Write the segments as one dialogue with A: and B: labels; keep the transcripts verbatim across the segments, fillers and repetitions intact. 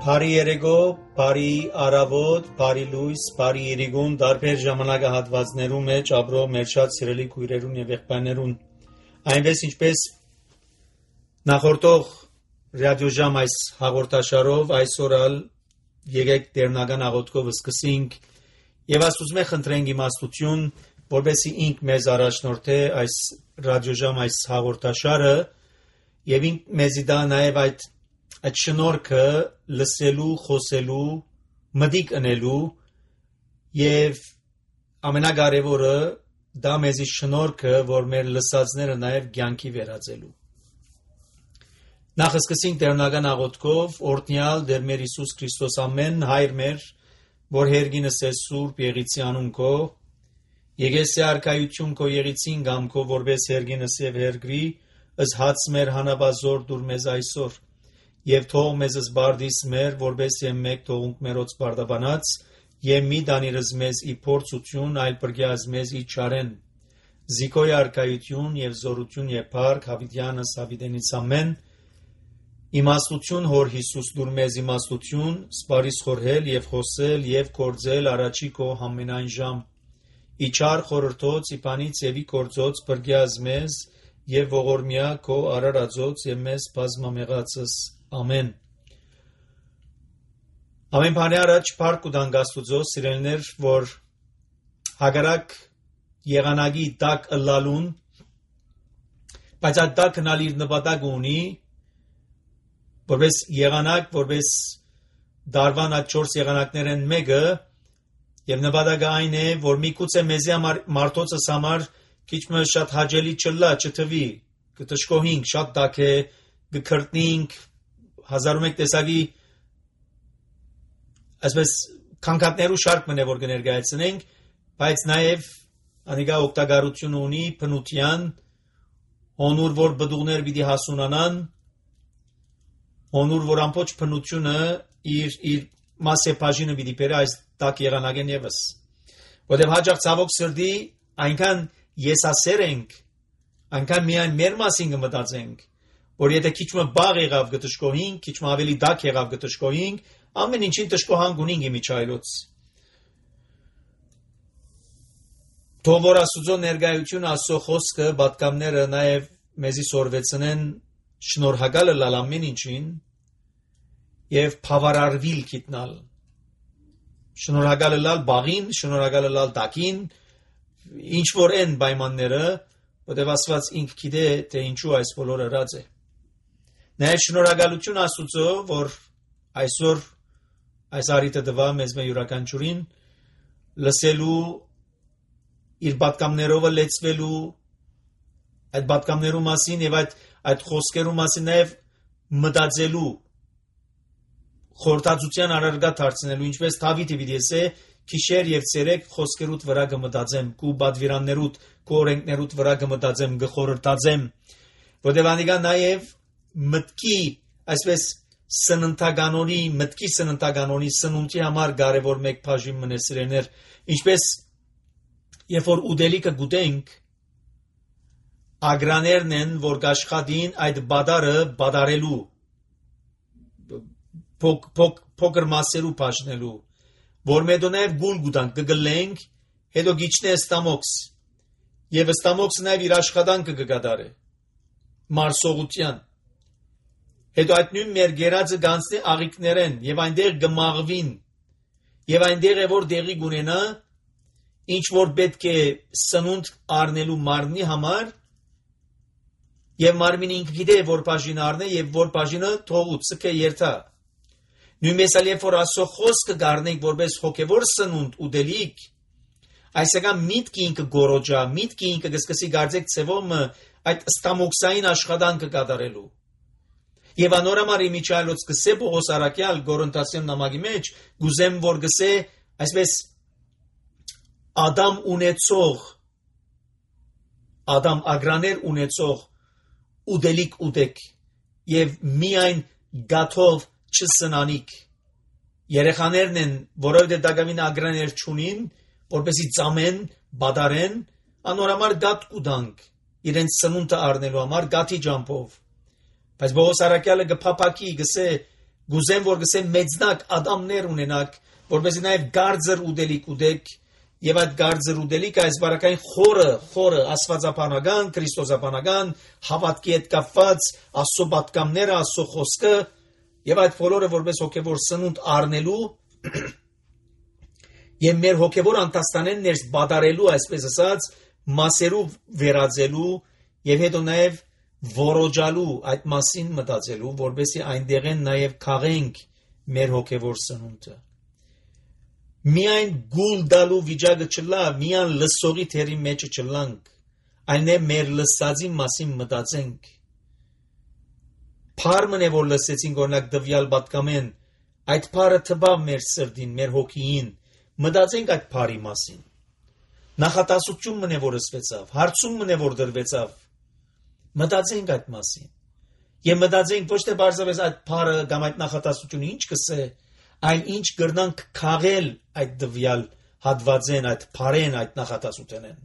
A: Բարի երեկո, բարի առավոտ, բարի լույս, բարի իրիգուն, տարբեր ժամանակահատվածներում մեջ ապրող մեր շատ սիրելի քույրերուն եւ եղբայրներուն։ Այնպես ինչպես նախորդող ռադիոժամ այս հաղորդաշարով այսօր ալ եկեք տերնական աղոթքով սկսենք եւ Աստծո խնդրենք իմաստություն, որովհետեւ ինք մեզ առաջնորդե այս ռադիոժամ այս հաղորդաշարը եւ ինք մեզի դա նաեւ այդ այդ շնորհքը լսելու, խոսելու, մտիկ ընելու եւ ամենակարևորը դա մեզի շնորհքը, որ մեր լսածները նաեւ կյանքի վերածելու։ Նախ սկսենք տերնական աղոթքով, օրհնյալ Տեր մեր Հիսուս Քրիստոս ամեն հայր մեր, որ հերգինս է սուրբ եղիցի անուն քո, եկեսի արքայություն քո եղիցին գամ քո, որպես հերգինս եւ հերգրի, ըս հաց մեր հանաբազոր դուր մեզ այսօր, եւ թող մեզ զբարդիս մեր, որպես եմ մեկ թողունք մերոց բարդաբանած, եւ մի դանիրս մեզ ի փորձություն, այլ բրգյազ մեզ ի չարեն, զիկոյ արքայություն եւ զորություն եւ փառք հավիտյանս հավիտենից ամեն, իմաստություն հոր Հիսուս դուր մեզ իմաստություն, սպարիս խորհել եւ խոսել եւ կործել առաջի քո ամենայն ժամ, ի չար խորհրդոց, ի բանից եւ ի կործոց բրգյազ մեզ եւ ողորմյա քո արարածոց եւ մեզ բազմամեղածս Ամեն։ Ամեն բանի առաջ փառք ու դանք Աստուծո, սիրելիներ, որ հագարակ եղանակի տակ ըլլալուն, բայց այդ տակն ալ իր նպատակ ունի, որպես եղանակ, որպես դարվան այդ չորս եղանակներն մեկը, եւ նպատակը այն է, որ միգուցե մեզի համար մարդոցս համար քիչ մը շատ հաճելի չլա, չթվի, կտշկոհինք, շատ տակ է, գքրտնինք հազար ու մեկ տեսակի այսպես քանքատներու շարք մնե որ կներկայացնենք, բայց նաև անիկա օգտագործություն ունի բնության, հոնուր որ բդուղներ պիտի հասունանան, հոնուր որ ամբողջ բնությունը իր իր մասե բաժինը պիտի բերե այս տակ եղանակեն եւս, որտեղ հաջող ցավոք սրտի այնքան եսասեր ենք, այնքան միայն մեր մասին կմտածենք, որ եթե քիչ մը բաղ եղավ գտշկոհինք, քիչ մը ավելի դակ եղավ գտշկոհինք, ամեն ինչին տշկոհանք ունենք իմիջայլոց։ Թող որ Աստծո ներկայությունը, Աստծո խոսքը, պատգամները նաև մեզի սորվեցնեն շնորհակալ լալ ամեն ինչին եւ բավարարվիլ գիտնալ։ Շնորհակալ լալ բաղին, շնորհակալ լալ դակին, ինչ որ են պայմանները, որտեղ Աստված ինք գիտե թե ինչու այս բոլորը հրած է։ Նաև շնորհակալություն Աստուծո, որ այսօր այս արիտը տվա մեզ մեր յուրաքանչյուրին լսելու իր պատգամներով լեցվելու այդ պատգամներու մասին եւ այդ այդ խոսքերու մասին նաև մտածելու խորտածության առարգա դարձնելու ինչպես Դավիթը պիտի ասե քիշեր եւ ցերեկ խոսքերուտ վրա կմտածեմ կու բադվիրաններուտ կու օրենքներուտ վրա կմտածեմ գխորտածեմ որտեղ անիկա նաև մտքի այսպես սննդականոնի մտքի սննդականոնի սնունդի համար կարևոր մեկ բաժին մնեսրեներ ինչպես երբ որ ուդելիքը գուտենք ագրաներն են որ կաշխատին այդ բադարը բադարելու փոք փոք փոքր մասերու բաժնելու որ մեդոնև գուլ գուտանք կգլենք հետո գիչնե ստամոքս եւ ստամոքսը նաև իր աշխատանքը կգադարե մարսողության հետո այդ նույն մեր գերածը գանցնի աղիքներեն եւ այնտեղ գմաղվին եւ այնտեղ է որ դեղի գունենա ինչ որ պետք է սնունդ առնելու մարմնի համար եւ մարմինը ինքը գիտե որ բաժին առնե եւ որ բաժինը թողուց սկե երթա նույնպես ալ երբ որ Աստծո խոսքը գառնենք որպես հոգեվոր սնունդ ուդելիք այսական միտքի ինքը գորոջա միտքի ինքը գսկսի գարձեք ցևոմը այդ ստամոքսային աշխատանքը կատարելու եւ անորամար իմիջայլոց գսե Պողոս Արաքյալ Գորընթացյան նամակի մեջ գուզեմ որ գսե այսպես Ադամ ունեցող Ադամ ագրաներ ունեցող ուդելիք ուտեք եւ միայն գաթով չսնանիք երեխաներն են որովհետեւ դակամին ագրաներ չունին որպեսի ծամեն բադարեն անորամար գատ կուտանք իրենց սնունդը առնելու համար գաթի ջամփով բայց Պողոս Արաքյալը գփապակի գսե գուզեմ որ գսեմ մեծնակ ադամներ ունենաք, որպեսզի նաև գարձր ուդելիք ուդեք, եւ այդ գարձր ուդելիքը այս բարակային խորը, խորը աստվածապանական, քրիստոսապանական հավատքի հետ կապված Աստծո պատգամները, Աստծո խոսքը եւ այդ բոլորը որպես հոգեվոր սնունդ առնելու եւ մեր հոգեվոր անտաստանեն ներս բադարելու, այսպես ասած, մասերով վերածելու եւ հետո նաեւ որոջալու այդ մասին մտածելու, որպեսզի այնտեղեն նաեւ քաղենք մեր հոգեվոր սնունդը։ Միայն գուլ դալու վիճակը չլա, միայն լսողի թերի մեջը չլանք, այլ է մեր լսածի մասին մտածենք։ Փարմն է որ լսեցինք օրինակ դվյալ պատկամեն, այդ փարը թվավ մեր սրտին, մեր հոգին, մտածենք այդ փարի մասին։ Նախատասություն մնե որ ըսվեցավ, հարցում մնե որ դրվեցավ, մտածենք այդ մասին։ Եվ մտածենք ոչ թե բարձրապես այդ փարը կամ այդ նախատասությունը ինչ կսե, այլ ինչ կրնանք քաղել այդ դվյալ հատվածեն, այդ փարեն, այդ նախատասությունեն։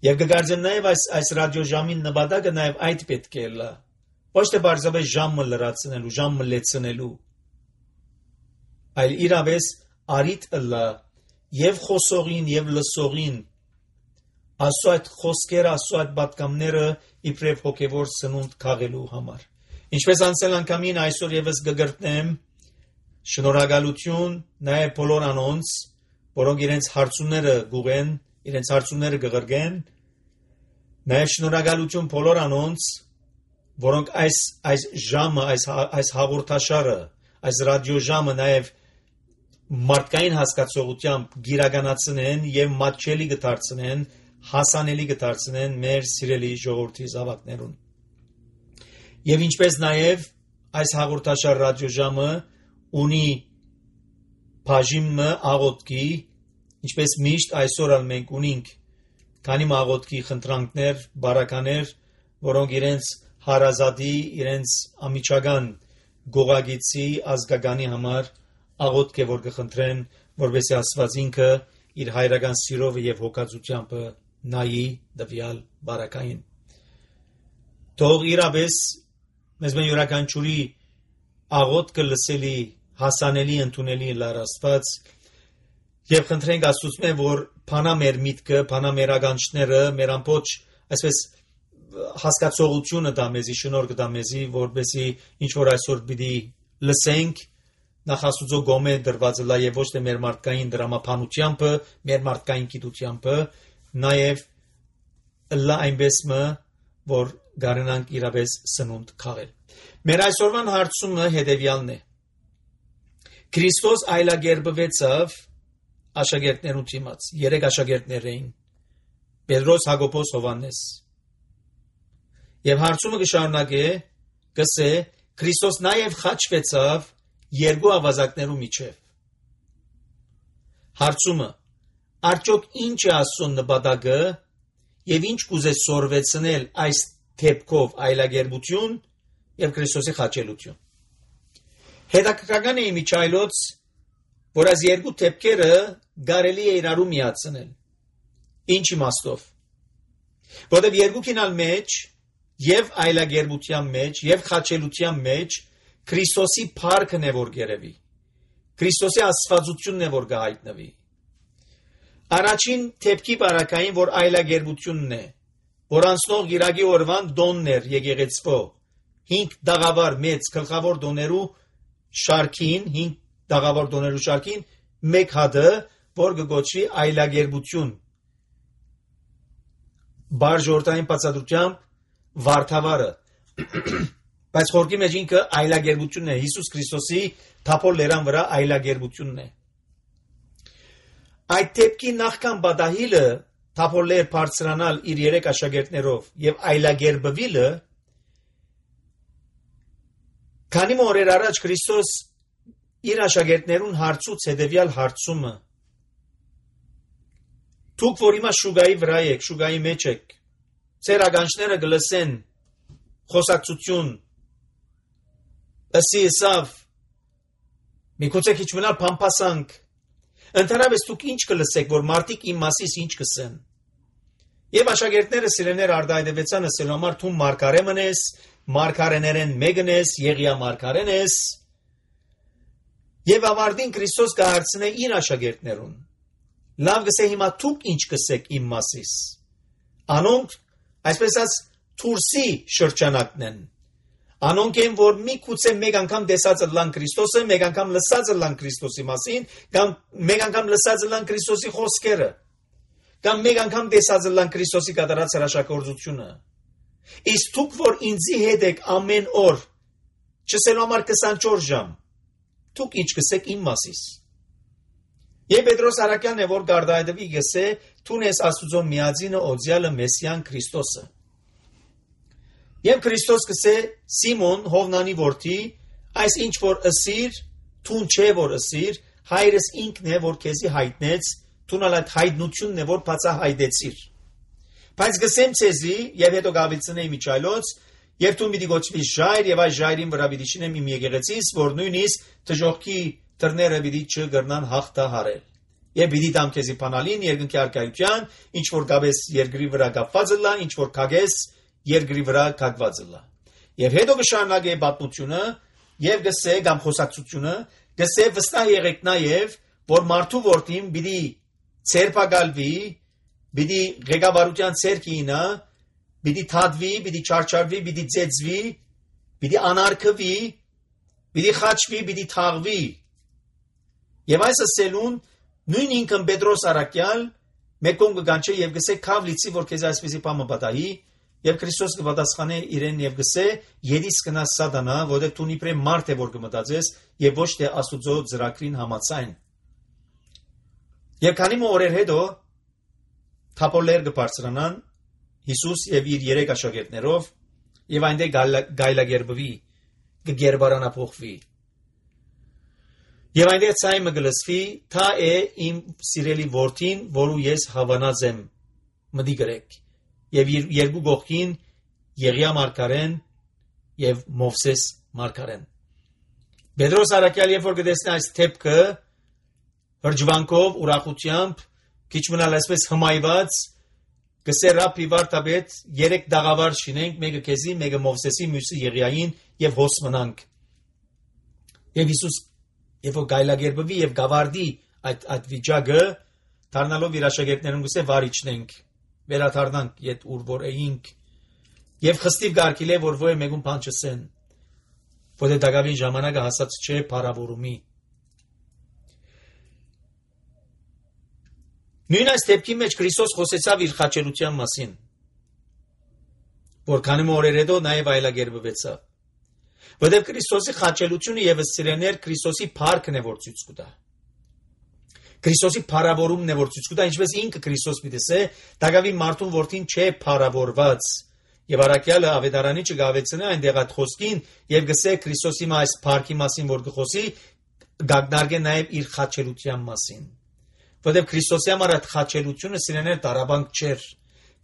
A: Եվ կգարձեմ նաև այս այս ռադիոժամին նպատակը նաև այդ պետք է լա։ Ոչ թե բարձրապես ժամը լրացնելու, ժամը լեցնելու, այլ իրավես արիտ լա եւ խոսողին եւ լսողին Աստծո այդ խոսքերը, Աստծո այդ պատգամները իբրև հոգևոր սնունդ քաղելու համար։ Ինչպես անցել անգամին այսօր եւս կգրտնեմ շնորհակալություն նաև բոլոր անոնց, որոնք իրենց հարցումները գուղեն, իրենց հարցումները կղրգեն, նաև շնորհակալություն բոլոր անոնց, որոնք այս այս ժամը, այս այս հաղորդաշարը, այս ռադիոժամը նաև մարդկային հասկացողությամբ գիրականացնեն եւ մատչելի կդարձնեն, հասանելի կդարձնեն մեր սիրելի ժողովրդի զավակներուն։ Եվ ինչպես նաև այս հաղորդաշար ռադիոժամը ունի բաժիմը աղոթքի, ինչպես միշտ այսօր ալ մենք ունենք քանի աղոթքի խնդրանքներ, բարականեր, որոնք իրենց հարազատի, իրենց ամիջական գողագիցի ազգականի համար աղոթք է որ կխնդրեն, որովհետեւ Աստված ինքը իր հայրական սիրով եւ հոգացությամբ նայի դվյալ բարակային։ Թող իրապես մեզ մեն յուրաքանչյուրի աղոթքը լսելի, հասանելի, ընդունելի լար Աստված եւ խնդրենք Աստծուց որ փանա մեր միտքը, փանա մեր ագանչները, մեր ամբողջ այսպես հասկացողությունը դա մեզի շնորհ կտա մեզի, որպեսզի ինչ որ այսօր պիտի լսենք նախ Աստծո գոմե դրված լա եւ ոչ թե մեր մարդկային դրամապանությամբ, մեր մարդկային գիտությամբ, նաեւ լա այնպես մը որ գարնանք իրապես սնունդ քաղել։ Մեր այսօրվան հարցումը հետեւյալն է. Քրիստոս այլագերբվեցավ աշակերտներուն դիմաց, երեք աշակերտներ էին՝ Պետրոս, Հակոբոս, Հովհաննես։ Եվ հարցումը կշարունակե, կսե Քրիստոս նաև խաչվեցավ երկու ավազակներու միջև։ Հարցումը. արդյոք ինչ է Աստծո նպատակը եւ ինչ կուզե սորվեցնել այս թեփքով այլագերբություն եւ Քրիստոսի խաչելություն։ Հետաքրքրական է իմիջայլոց, որ այս երկու թեփքերը կարելի է իրարու միացնել։ Ինչ իմաստով։ Որտեղ երկուքին ալ մեջ եւ այլագերբության մեջ եւ խաչելության մեջ Քրիստոսի փառքն է որ գերեվի։ Քրիստոսի աստվածությունն է որ գահիտնվի։ Առաջին թեփքի բարակային որ այլագերբությունն է, որ անցնող գիրագի օրվան դոններ եկեղեցվո, հինգ դաղավար մեծ գլխավոր դոներու շարքին, հինգ դաղավար դոներու շարքին, մեկ հատը, որ կգոչվի այլագերբություն։ Բարժորդային բացատրությամբ վարդավարը։ Բայց խորքի մեջ ինքը այլագերբությունն է, Հիսուս Քրիստոսի թափոր լերան վրա այլագերբությունն է։ Այդ թեփքի նախքան բադահիլը թափոր լեր բարձրանալ իր երեք աշակերտներով եւ այլագերբվիլը, քանի օրեր առաջ Քրիստոս իր աշակերտներուն հարցուց հետեւյալ հարցումը. Դուք որ հիմա շուգայի վրա եք, շուգայի մեջ եք, ձեր ագանչները գլսեն խոսակցություն, ըսի եսավ, մի կոծեք իչ մնալ պամպասանք, ընդհանրապես դուք ինչ կլսեք, որ մարդիկ իմ մասիս ինչ կսեն։ Եվ աշակերտները սիրեներ արդայդևեցան ասելու համար թում մարգարե մնես, մարգարեներեն մեկն ես, Եղիա մարգարեն ես, Եվ ավարտին Քրիստոս կհարցնե իր աշակերտներուն. լավ գսե հիմա դուք ինչ կսեք իմ մասիս։ Անոնք այսպես ասած թուրսի շրջանակն են։ Անոնք են, որ մի քուցե մեկ անգամ տեսած լան Քրիստոսը, մեկ անգամ լսած լան Քրիստոսի մասին, կամ մեկ անգամ լսած լան Քրիստոսի խոսքերը, կամ մեկ անգամ տեսած լան Քրիստոսի կատարած հրաշագործությունը։ Իսկ դուք, որ ինձի հետ եք ամեն օր, չսելու համար քսանչորս ժամ, դուք ինչ կսեք իմ մասիս։ Եվ Պետրոս Արաքյանն է, որ գարդայդվի գսե, թունես Աստուծո միածինը օձյալը Մեսիան Քրիստոսը։ Եվ Քրիստոս կսե Սիմոն Հովնանի որդի, այս ինչ որ ըսիր, թուն չէ որ ըսիր, հայրս ինքն է, որ քեզի հայտնեց, թունալ այդ հայտնությունն է, որ բացահայտեցիր։ Բայց գսեմ ցեզի, եւ հետո գավիցնեի միջայլոց, եւ դու պիտի գոչվիս ժայր, եւ այս ժայրին վրա պիտի շինեմ իմ եկեղեցիս, որ նույնիսկ դժողքի դռները պիտի չգրնան հաղթահարել։ Եվ պիտի տամ քեզի բանալին երկնքի արքայության, ինչ որ գաբես երկրի վրա կապված լա, ինչ որ կագես երկրի վրա կապված լա։ Եվ հետո կշարունակե պատմությունը եւ գսե կամ խոսակցությունը, գսե վստահ եղեք նաեւ, որ մարդու որդին պիտի ցերպակալվի, պիտի ղեկավարության ցերկինա, պիտի թադվի, պիտի չարչարվի, պիտի ծեծվի, պիտի անարգվի, պիտի խաչվի, պիտի թաղվի։ Եվ այս ասելուն նույն ինքն Պետրոս Արաքյալ մեկոն կգանչե եւ գսե քավ լիցի, որ քեզ այսպեսի բանը պատահի, եւ Քրիստոս կպատասխանե իրեն եւ գսե երիս կնա սատանա, որտեղ դու իբրե մարդ է որ կմտածես եւ ոչ թե Աստուծո ծրագրին համաձայն։ Եվ քանի օրեր հետո թափորներ կբարձրանան Հիսուս եւ իր երեք աշակերտներով եւ այնտեղ գայլագերբվի, կգերբարանափոխվի։ Եվ այնտեղ ցայմը գլսվի, թա է իմ սիրելի որդին, որու ես հավանած եմ, մտի գրեք։ Եվ երկու գողքին Եղիա մարգարեն եւ Մովսես մարգարեն։ Պետրոս Արաքյալ երբ որ գտեսնի այս թեփքը հրջվանքով, ուրախությամբ, քիչ մնալ այսպես հմայված, գսե Ռաբբի վարդապետ երեք դաղավար շինենք, մեկը քեզի, մեկը Մովսեսի, մյուսը Եղիային եւ հոս մնանք։ Եվ Հիսուս երբ որ գայլագերբվի եւ գավարդի այդ այդ վիճակը, դառնալով իր աշակերտներուն գսե վարիչնենք, վերադառնանք իդ ուր որ էինք եւ խստիվ գարկիլե որ ոյ մեկուն բան չսեն, որը դակավին ժամանակը հասած չէ փարավորումի։ Նույն այս դեպքի մեջ Քրիստոս խոսեցավ իր խաչելության մասին, որ քանի օրեր հետո նաեւ այլագերբվեցավ։ Որտեղ Քրիստոսի խաչելությունը եւս սիրեներ Քրիստոսի փառքն է որ ցույց կտա։ Քրիստոսի փառավորումն է որ ցույց կտա, ինչպես ինքը Քրիստոս պիտեսե, դակավին մարդուն որդին չէ փառավորված։ Եվ Արաքյալը ավետարանի չգավեցնե այնտեղ այդ խոսքին եւ գսե Քրիստոսի այս փառքի մասին որ գխոսի, գագնարգե նաեւ իր խաչելության մասին։ Որտեղ Քրիստոսի համար այդ խաչելությունը սիրեներ տարաբանք չէր։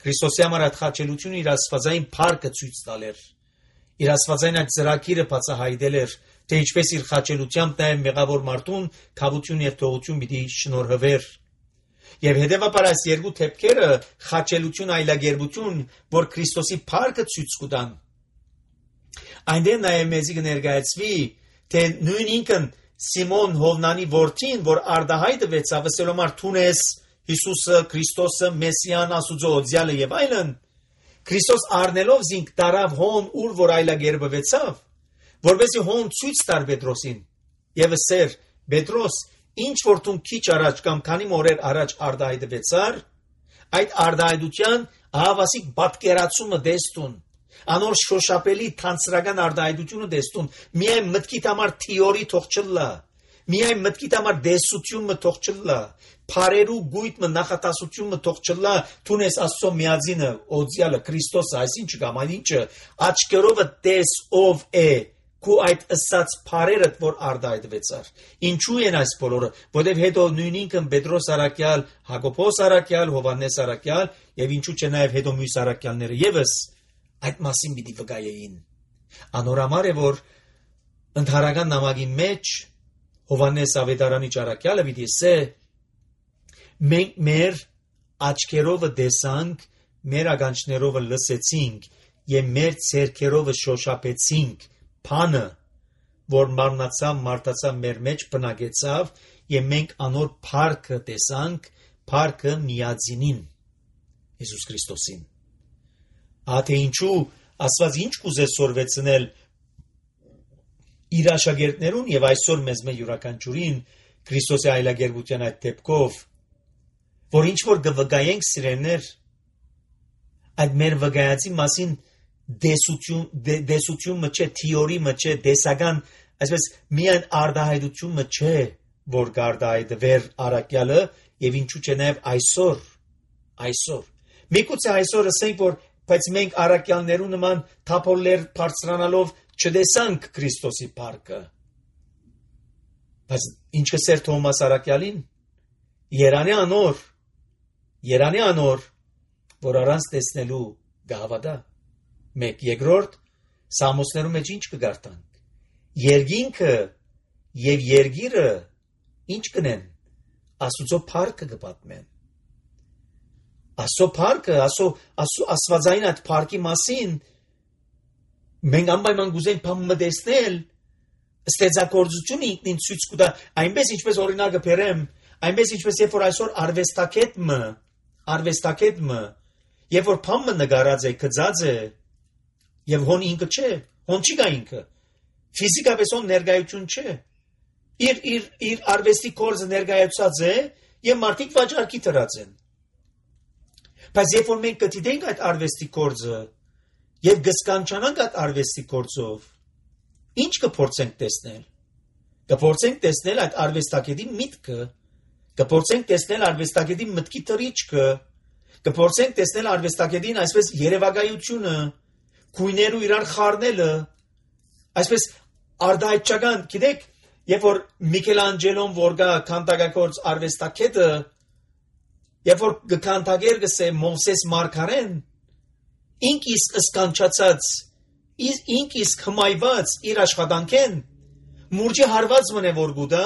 A: Քրիստոսի համար այդ խաչելությունը իր աստվածային փառքը ցույց տալեր։ Իր աստվածային այդ ծրագիրը բացահայտել էր, թե ինչպես իր խաչելությամբ նաև մեղավոր մարդուն քավություն եւ թողություն պիտի շնորհվեր։ Եվ հետեւաբար այս երկու թեփքերը խաչելություն այլագերբություն, որ Քրիստոսի փառքը ցույց կտան։ Այնտեղ նաև մեզի կներկայացվի, թե նույն ինքն Սիմոն Հովնանի որդին, որ արդահայտվեցավ, ասելով թունես Հիսուսը, Քրիստոսը, Մեսիան, Աստուծո օձյալը եւ այլն, Քրիստոս առնելով զինք տարավ հոն ուր որ այլագերբվեցավ, որովհետեւ հոն ցույց տար Պետրոսին եւ ասեր Պետրոս, ինչ որ դու քիչ առաջ կամ քանի օրեր առաջ արդահայտվեցար, այդ արդահայտության ահավասիկ պատկերացումը դեստուն, անոր շոշափելի թանցրական արդահայտությունը դեստուն, միայն մտքիդ համար թիորի թող չլա, միայն մտքիդ համար դեսությունը թող չլա, փարերու գույտը նախատասությունը թող չլա, թունես Աստծո միածինը, օձյալը Քրիստոսը, այսինչ կամ այնինչը աչքերովը տես ով է, քու այդ ըսած փարերը որ արդահայտվեցար։ Ինչու են այս բոլորը, որովհետև հետո նույն ինքն Պետրոս Արաքյալ, Հակոբոս Արաքյալ, Հովհաննես Արաքյալ եւ ինչու՞ չէ նաեւ հետո մյուս Արաքյալները եւս այդ մասին պիտի վկայեին։ Անորամար է որ ընդհանրական նամակի մեջ Հովհաննես ավետարանի Արաքյալը պիտի ասե մենք մեր աչքերով տեսանք, մեր ականջներով լսեցինք եւ մեր ցերքերով շոշափեցինք բանը, որ մարմնացավ, մարդացավ մեր մեջ բնակեցավ, եւ մենք անոր փառքը տեսանք, փառքը միածինին Հիսուս Քրիստոսին։ Ահա ինչու Աստված ինչ կուզեց սորվեցնել իր աշակերտներուն եւ այսօր մեզ մե յուրաքանչյուրին Քրիստոսի այլագերբության այդ դեպքով, որ ինչ որ գվգայենք սիրելներ, այդ մեր վգայացի մասին դեսություն դեսությունը չէ, թեորիը չէ, դեսական, այսպես միայն արդահայտությունը չէ, որ գարդայդվեր արակյալը եւ ինչու՞ չէ նաեւ այսօր, այսօր։ Միգուցե այսօր ասենք, որ բայց մենք արակյալներու նման թափոլներ բարձրանալով չտեսանք Քրիստոսի փառքը։ Բայց ինչ կսեր Թոմաս արակյալին, Երանի անոր, Երանի անոր, որ առանց տեսնելու գահավադա։ Մեկ երկրորդ Սամոսներու մեջ ինչ կգարտանք։ Երգինքը եւ երգիրը ինչ կնեն, Աստուծո փառքը կպատմեն։ Աստծո փառքը, Աստծո աստվածային այդ փառքի մասին մենք անպայման գուզենք բամը տեսնել, ստեղծագործությունը ինքնին ցույց կտա, այնպես ինչպես օրինակը բերեմ, այնպես ինչպես երբ որ այսօր արվեստակետը, արվեստակետը, երբ որ բամը նկարած է, գծած է, եւ հոն ինքը չէ, հոն չի գա ինքը, ֆիզիկապես հոն ներկայություն չէ, իր իր իր արվեստի գործը ներկայացած է եւ մարդիկ վաճառքի դրած են։ Բայց երբ որ մենք կդիտենք այդ արվեստի գործը եւ գսկանչանանք այդ արվեստի գործով, ինչ կփորձենք տեսնել։ Կփորձենք տեսնել այդ արվեստագետի միտքը, կփորձենք տեսնել արվեստագետի մտքի թռիչքը, կփորձենք տեսնել արվեստագետին այսպես երևակայությունը, գույներու իրար խառնելը, այսպես արդահայտչական, գիտեք, երբ որ Միքելանջելոն որ գա քանդակագործ արվեստագետը, երբ որ գքանդագեր գսե Մովսես Մարգարեն, ինք իսկ սկանչացած, ինք իսկ հմայված իր աշխատանքեն, մուրջի հարված մնե որ գուտա,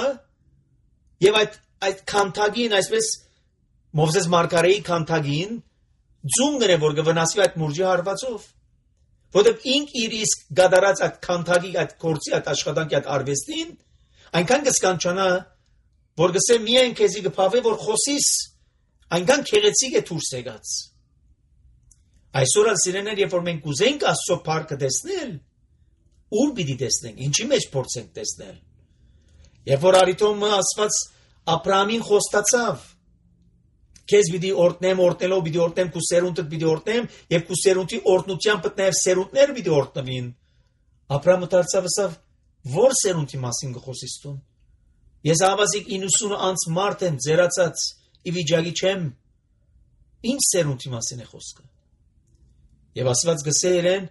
A: եւ այդ այդ քանդագին այսպես Մովսես Մարգարեի քանդագին ձուն գնե որ գվնասվի այդ մուրջի հարվածով, որովհետեւ ինք իր իսկ գադարած այդ քանդագի այդ կորցի այդ աշխատանքի այդ արվեստին, այնքան կսկանչանա, որ գսե միայն քեզի գփավե որ խոսիս, այնքան քեղեցիկ է դուրս եկած։ Այսօր ասիրեներ, երբ որ մենք ուզենք Աստծո փառքը տեսնել, ուր պիտի տեսնենք, ինչի մեջ փորձենք տեսնել։ Երբ որ Արիթոմը ասված Աբրահամին խոստացավ, քեզ պիտի օրտնեմ, օրտնելով պիտի օրտնեմ, քու սերունդդ պիտի օրտնեմ, եւ քու սերունդի օրտնությամբ պտներ սերունդներ պիտի օրտնվին։ Աբրահամը դարձավ ասավ, որ սերունդի մասին գխոսիս տուն։ Ես ավազիկ իննսուն անց մարդ եմ ձերացած, ի վիճակի չեմ, ինչ սերունդի մասին է խոսքը։ Եվ ասված գսե իրեն,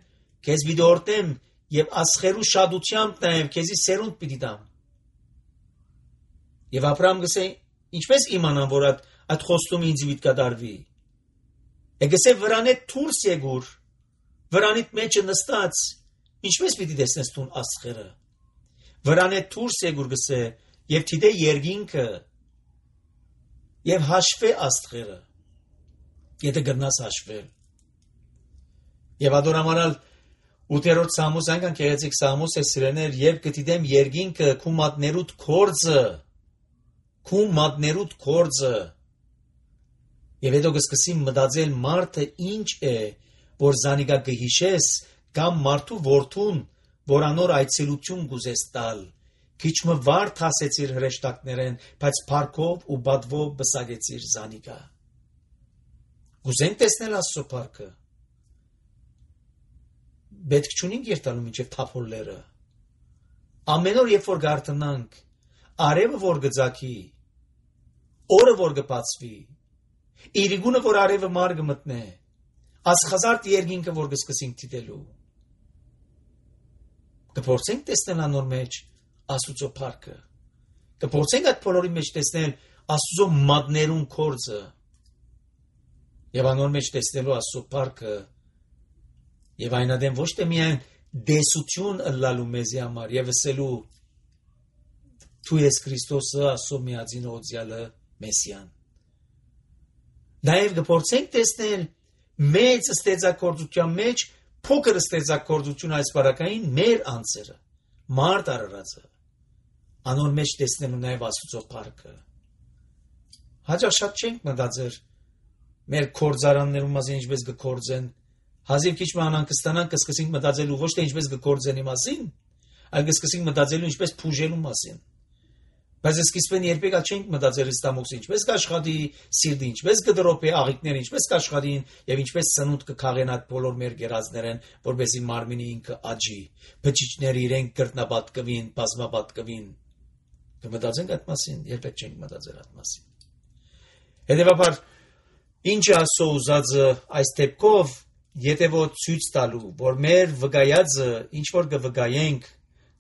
A: քեզ պիտի օրտնեմ եւ ասխերու շադությամբ նայեմ, քեզի սերունդ պիտի տամ։ Եվ Աբրահամ գսե, ինչպես իմանամ, որ այդ այդ խոստումը ինձ պիտի կատարվի։ Եգսե վրանե դուրս եկուր, վրանիդ մեջը նստած, ինչպես պիտի տեսնես տուն ասխերը։ Վրանե դուրս եկուր գսե, եւ թիդե երգինքը, եւ հաշվե աստղերը, եթե գտնաս հաշվել։ Եվ ադորամանալ ութերորդ Սամուս այնքան քեղեցիկ Սամուս է սիրեներ, եւ գտիդեմ երգինքը քու մատներուդ կորձը, քու մատներուդ կորձը։ Եվ հետո կսկսի մտածել մարդը ինչ է, որ զանիկա կհիշես, կամ մարդու որդուն, որ անոր այցելություն գուզես տալ, քիչմը վարդ հասեցիր հրեշտակներեն, բայց փառքով ու բադվով բսագեցիր զանիկա։ Գուզենք տեսնել Աստծո փառքը։ Պետք չունենք երթալու մինչև թափոլները։ Ամեն օր երբ որ գարտնանք, արևը որ գծակի, օրը որ գբացվի, իրիգունը որ արևը մար գմտնե, ասխազարդ երգինքը որ գսկսենք դիտելու։ Կփորձենք տեսնել անոր մեջ Աստուծո փառքը։ Կփորձենք այդ բոլորի մեջ տեսնել Աստուծո մատներուն կորձը։ Եվ անոր մեջ տեսնելու Աստծո փառքը եւ այնադեմ ոչ թե միայն դեսություն ըլլալու մեզի համար եւ ասելու դու ես Քրիստոսը Աստծո միածին օձյալը Մեսիան։ Նաեւ կփորձենք տեսնել մեծ ստեղծագործության մեջ փոքր ստեղծագործություն այս բարակային մեր անձերը, մարդ արարածը անոր մեջ տեսնելու նաև Աստծո փառքը։ Հաճախ շատ չենք մտածեր մեր կորձարաններում մասին ինչպես կկորձեն, հազիվ քիչ մանան կստանան կսկսենք մտածելու ոչ թե ինչպես կկորձենի մասին, այլ կսկսենք մտածելու ինչպես փուժելու մասին։ Բայց սկիզբեն երբեք չենք մտածել ստամոքսը ինչպես կաշխատի, սիրտը ինչպես կդրոպի, աղիքները ինչպես կաշխատին եւ ինչպես սնունդ կքաղեն այդ բոլոր մեր գերազներեն, որովհետեւ մարմինի ինքը աճի, բջիջները իրենք կրտնապատկվին, բազմապատկվին։ Կմտածենք այդ մասին, երբեք չենք մտածել այդ մասին։ Հետևաբար ինչ է Աստծո ուզածը այս դեպքով, եթե որ ցույց տալու, որ մեր վկայածը ինչ որ կվկայենք,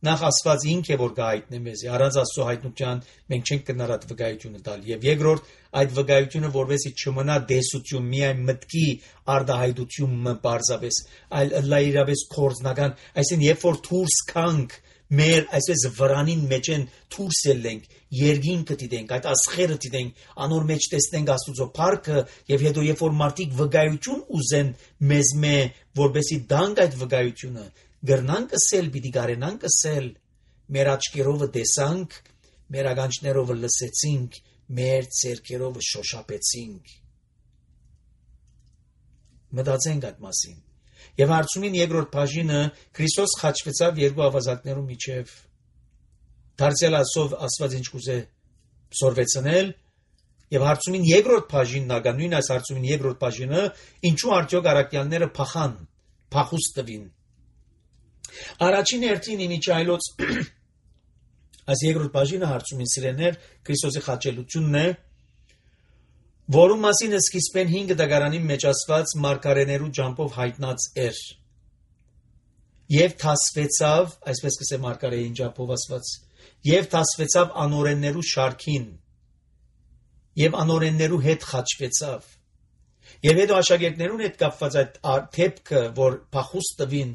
A: նախ Աստված ինքը է որ կհայտնի մեզ, առանց Աստծո հայտնության մենք չենք կնար այդ վկայությունը տալ, եւ երկրորդ այդ վկայությունը որովհետեւ չմնա դեսություն, միայն մտքի արդահայտություն պարզապես, այլ լայրապես կորձնական, այսինքն երբ որ դուրս կանք մեր այսպես վրանին մեջ են դուրս ելենք, երգինքը դիտենք, այդ ասխերը դիտենք, անոր մեջ տեսնենք Աստծո փառքը եւ հետո երբ որ մարդիկ վկայություն ուզեն մեզ մե, որբեսի դանք այդ վկայությունը գրնանք ասել, պիտի գարենանք ասել, մեր աչքերովը տեսանք, մեր ականջներովը լսեցինք, մեր ձեռքերովը շոշափեցինք։ Մտածենք այդ մասին։ Եվ հարցումին երկրորդ բաժինը Քրիստոս խաչվեցավ երկու ավազակներու միջև։ Դարձյալ ասով Աստված ինչ կուզե սորվեցնել, եւ հարցումին երկրորդ բաժինն ագա նույն այս հարցումին երկրորդ բաժինը ինչու արդյոք առաքյալները փախան, փախուստ տվին։ Առաջին հերթին իմիջայլոց այս երկրորդ բաժինը հարցումին սիրեներ Քրիստոսի խաչելությունն է, որում մասին սկիզբեն հինգ դագարանի մեջ ասված մարգարեներու ջամփով հայտնած էր։ Եվ թասվեցավ, այսպես կսե մարգարեին ջամփով ասված, եւ թասվեցավ անօրեններու շարքին, եւ անօրեններու հետ խաչվեցավ։ Եվ հետո աշակերտներուն հետ կապված այդ թեփքը, որ փախուստ տվին,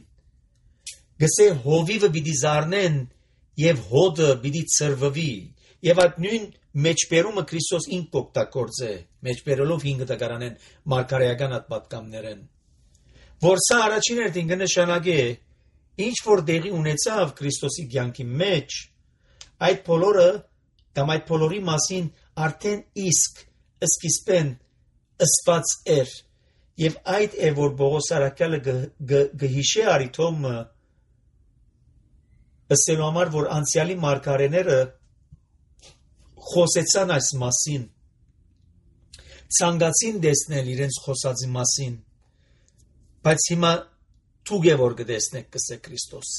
A: գսե հովիվը պիտի զարնեն եւ հոդը պիտի ծրվվի եւ այդ նույն մեջբերումը Քրիստոս ինք կօգտագործե մեջբերելով հինգ դագարանեն մարգարեական այդ պատկամներեն որ սա առաջին հերթին կնշանակե ինչ որ դեղի ունեցավ Քրիստոսի կյանքի մեջ այդ բոլորը կամ այդ բոլորի մասին արդեն իսկ սկիզբեն ըսված էր եւ այդ է որ Պողոս առաքյալը գհիշե արիթոմը ըսելու համար, որ անցյալի մարգարեները խոսեցան այս մասին, ցանկացին տեսնել իրենց խոսածի մասին, բայց հիմա թուգ է որ կտեսնեք կսե Քրիստոս։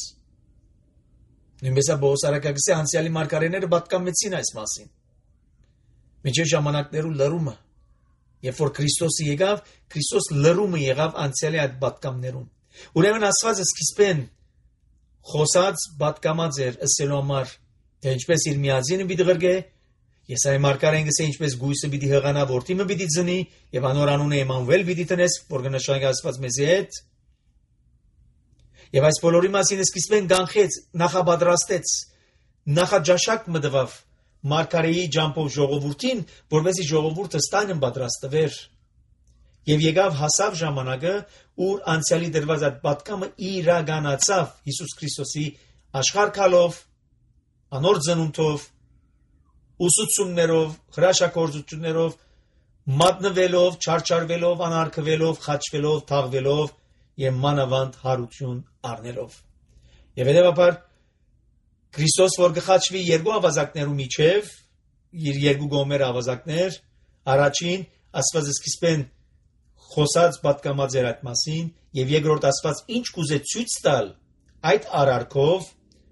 A: Նույնպես Պողոս առաքյալը գսե անցյալի մարգարեները պատկամեցին այս մասին։ Մինչև ժամանակներու լրումը, երբ որ Քրիստոսը եկավ, Քրիստոս լրումը եղավ անցյալի այդ պատկամներուն։ Ուրեմն Աստված սկիզբեն խոսած պատկամած էր ըսելու համար, թե ինչպես իր միածինը պիտի ղրգե, Եսայի մարգարեն գսե ինչպես գույսը պիտի հղանա, որդիմը պիտի ծնի, եւ անոր անունը Էմանուել պիտի տնես, որ կնշանակի Աստված մեզի հետ։ Եվ այս բոլորի մասին սկիզբեն կանխեց, նախապատրաստեց, նախաջաշակ մտավ մարգարեի ջամփով ժողովրդին, որովհետեւ ժողովուրդը ստանն պատրաստվեր։ Եվ եկավ հասավ ժամանակը, ուր անցյալի դրված այդ պատկամը իրականացավ Հիսուս Քրիստոսի աշխարհ գալով, անոր ծնունդով, ուսուցումներով, հրաշագործություններով, մատնվելով, չարչարվելով, անարգվելով, խաչվելով, թաղվելով եւ մանավանդ հարություն առնելով։ Եվ հետեւաբար Քրիստոս որ գխաչվի երկու ավազակներու միջև, իր երկու գոմեր ավազակներ, առաջին Աստված սկիզբեն խոսած պատկամած էր այդ մասին եւ երկրորդ Աստված ինչ կուզե ցույց տալ այդ արարքով,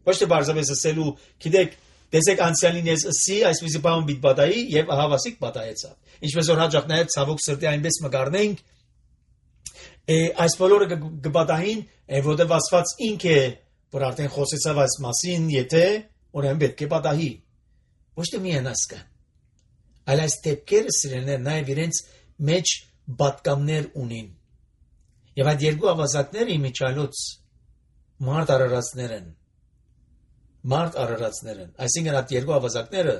A: ոչ թե բարձրապես ասելու, գիտեք, տեսեք անցյալին ես ասի, այսպեսի բան պիտի պատահի եւ ահավասիկ պատահեցավ։ Ինչպես որ հաջող նաեւ ցավոք սրտի այնպես մգարնենք, այս բոլորը կպատահին, որովհետեւ Աստված ինքը է, որ արդեն խոսեցավ այս մասին, եթե ուրեմն պետք է պատահի։ Ոչ թե միայն ասկա, այլ այս դեպքերը սիրելիներ նաեւ իրենց մեջ պատկամներ ունին։ Եվ այդ երկու ավազակները իմիջայլոց մարդ արարածներ են։ Մարդ արարածներ են։ Այսինքն այդ երկու ավազակները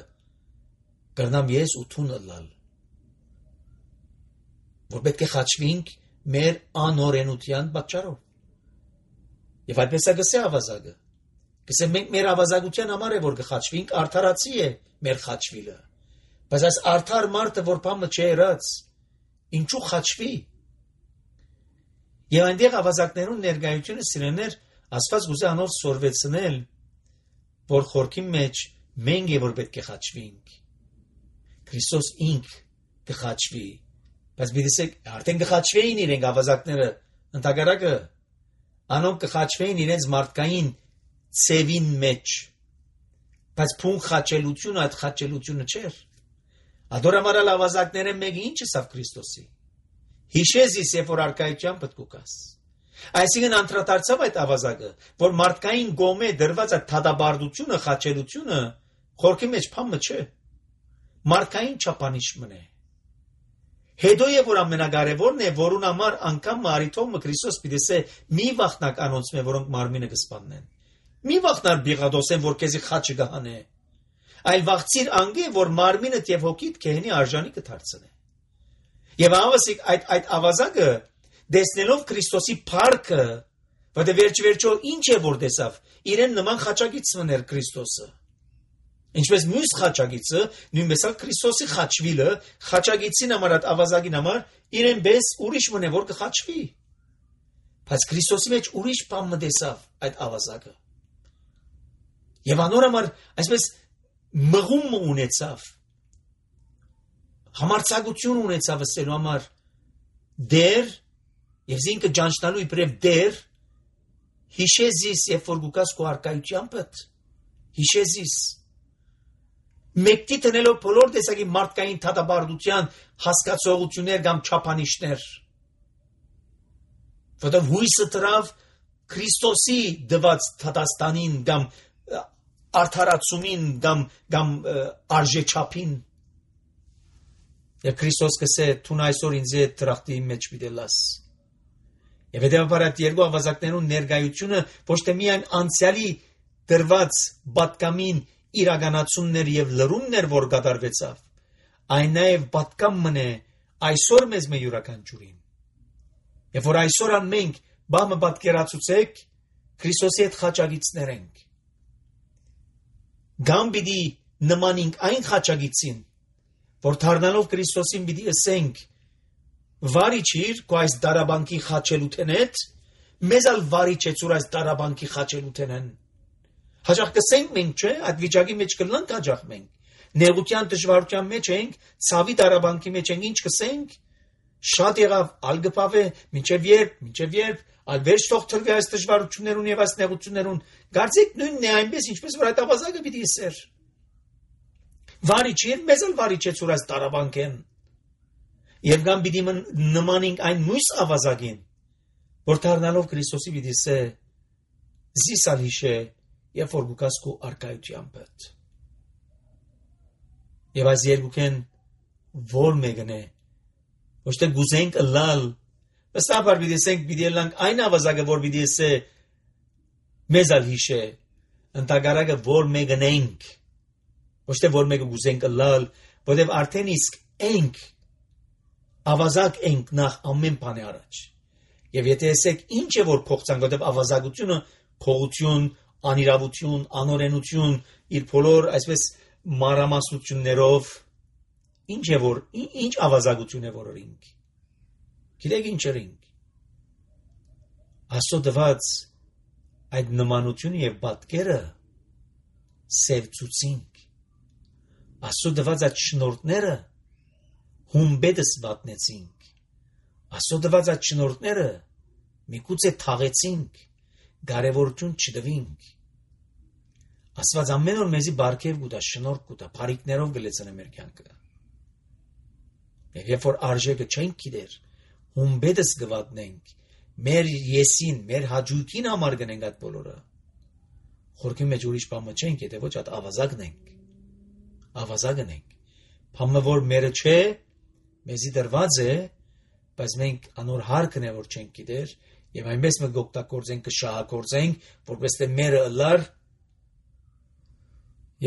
A: կրնամ ես ու թունը լալ։ Որ պետք է խաչվենք մեր անօրենության պատճառով։ Եվ այդպես է գսե ավազակը։ Կսեմ մենք մեր ավազակության համար է որ կխաչվենք, արդարացի է մեր խաչվիլը։ Բայց այս արդար մարդը որ բամը չերած, ինչու խաչվի։ Եվ այնտեղ ավազակներուն ներկայությունը սիրեներ Աստված գուզե անով սորվեցնել, որ խորքի մեջ մենք է որ պետք է խաչվենք։ Քրիստոս ինք կխաչվի, բայց բիդեսեք արդեն կխաչվեին իրենք ավազակները, ընդհակառակը անոնք կխաչվեին իրենց մարդկային ցևին մեջ, բայց փուն խաչելությունը այդ խաչելությունը չէր։ Ադորամարալ ավազակները մեկը ինչ է սավ Քրիստոսի։ Հիշեզիս երբ որ արկայության պետքուկաս։ Այսինքն անդրադարձավ այդ ավազակը, որ մարդկային գոմե դրված այդ թադաբարդությունը, խաչելությունը խորքի մեջ փամը չէ։ Մարդկային չափանիշ մնե։ Հետո է որ ամենակարևորն է, որուն համար անգամ մարիթոմը Քրիստոս պիտեսե մի վախնակ անոնց մե, որոնք մարմինը կսպաննեն։ Մի վախնար բիղադոսեն, որ քեզի խաչը գահանե։ Այլ վախցիր անգե, որ մարմինդ եւ հոգիդ քեհնի արժանի կդարձնե։ Եվ ավասիկ այդ այդ ավազակը դեսնելով Քրիստոսի փառքը, որտեղ վերջ-վերջո ինչ է որ տեսավ, իրեն նման խաչագից մներ Քրիստոսը։ Ինչպես մյուս խաչագիծը, նույնպես էլ Քրիստոսի խաչվիլը, խաչագիծին համար այդ ավազակին համար իրեն բես ուրիշ մնե որ կխաչվի։ Բայց Քրիստոսի մեջ ուրիշ բան մտեսավ այդ ավազակը։ Եվ անոր համար այսպես մղում ունեցավ, համարձակություն ունեցավ ասելու համար դեր եւ զինքը ճանչնալու իբրև դեր հիշեզիս երբ որ գուկաս քո արկայության պդ հիշեզիս մեկտի տնելով բոլոր տեսակի մարդկային թադաբարդության հասկացողություններ կամ չափանիշներ, որտեղ հույսը տրավ Քրիստոսի դված թադաստանին կամ արդարացումին կամ կամ արժեչափին։ Եվ Քրիստոս կսե թուն այսօր ինձ է տրախտի մեջ պիտելաս։ Եվ հետևաբար այդ երկու ավազակներուն ներկայությունը ոչ թե միայն անցյալի դրված պատկամին իրականացումներ եւ լրումներ որ կատարվեցավ, այն նաեւ պատկամ մնե այսօր մեզ մե յուրաքանչյուրին։ Եվ որ այսօր ան մենք բամը պատկերացուցեք Քրիստոսի հետ խաչագիծներ ենք։ Գամ պիտի նմանինք այն խաչագիծին, որ դառնալով Քրիստոսին պիտի ասենք վարիչիր քո այս դարաբանկի խաչելութեն հետ, մեզ ալ վարիչ է ծուր այս դարաբանկի խաչելութենեն։ Հաջող կսենք մենք չէ, այդ վիճակի մեջ կլանք հաջող մենք։ Նեղության դժվարության մեջ ենք, ցավի դարաբանկի մեջ ենք, ինչ կսենք։ Շատ եղավ ալգպավե, մինչև երբ, մինչև երբ, ալ վերջ թող թրվի այս դժվարություններուն եւ այս նեղություններուն։ Գարձիկ նույնն է այնպես, ինչպես որ այդ ավազակը պիտի սեր։ Վարիչին մեզ ալ վարիչ է ծուր այս դարաբանկեն։ Եվ գամ պիտի նմանենք այն մյուս ավազակին, որ դառնալով Քրիստոսի պիտի սե զիսալ հիշե եւ որ գուկաս քո արկայության պդ։ Եվ այս երկուքեն որ մեկն է, ոչ թե գուզենք լալ, բստաբար պիտի սենք պիտի լանք այն ավազակը որ պիտի սե մեզ ալ հիշե, ընդհակառակը որ մեկն ենք, ոչ թե որ մեկը գուզենք լալ, որտեւ արդեն իսկ ենք ավազակ ենք նախ ամեն բանի առաջ։ Եվ եթե ասեք ինչ է որ փոխցանք, որտեւ ավազակությունը փողություն, անիրավություն, անօրենություն, իր բոլոր այսպես մանրամասնություններով ինչ է որ ինչ ավազակություն է որ օրինք։ Գիտեք ինչ օրինք։ Աստծո դված այդ նմանությունը եւ պատկերը սևծուցինք։ Աստծո դված այդ շնորհները հումբեդս վատնեցինք։ Աստծո դված այդ շնորհները միգուցե թաղեցինք, կարևորություն չդվինք։ Աստված ամեն օր մեզի բարգև կուտա, շնորհ կուտա, բարիքներով գլեցնե մեր կյանքը։ Եվ երբ որ արժեքը չենք գիտեր, հումբեդս գվատնենք, մեր եսին, մեր հաճույքին համար գնենք այդ բոլորը։ Խորքի մեջ ուրիշ բան չենք, եթե ոչ այդ ավազակն ենք։ Ավազակն ենք։ Բանը որ մերը չէ, մեզի դրված է, բայց մենք անոր հարկն է որ չենք գիտեր, եւ այնպես մենք օգտագործենք, կշահագործենք, որպես թե մերը լար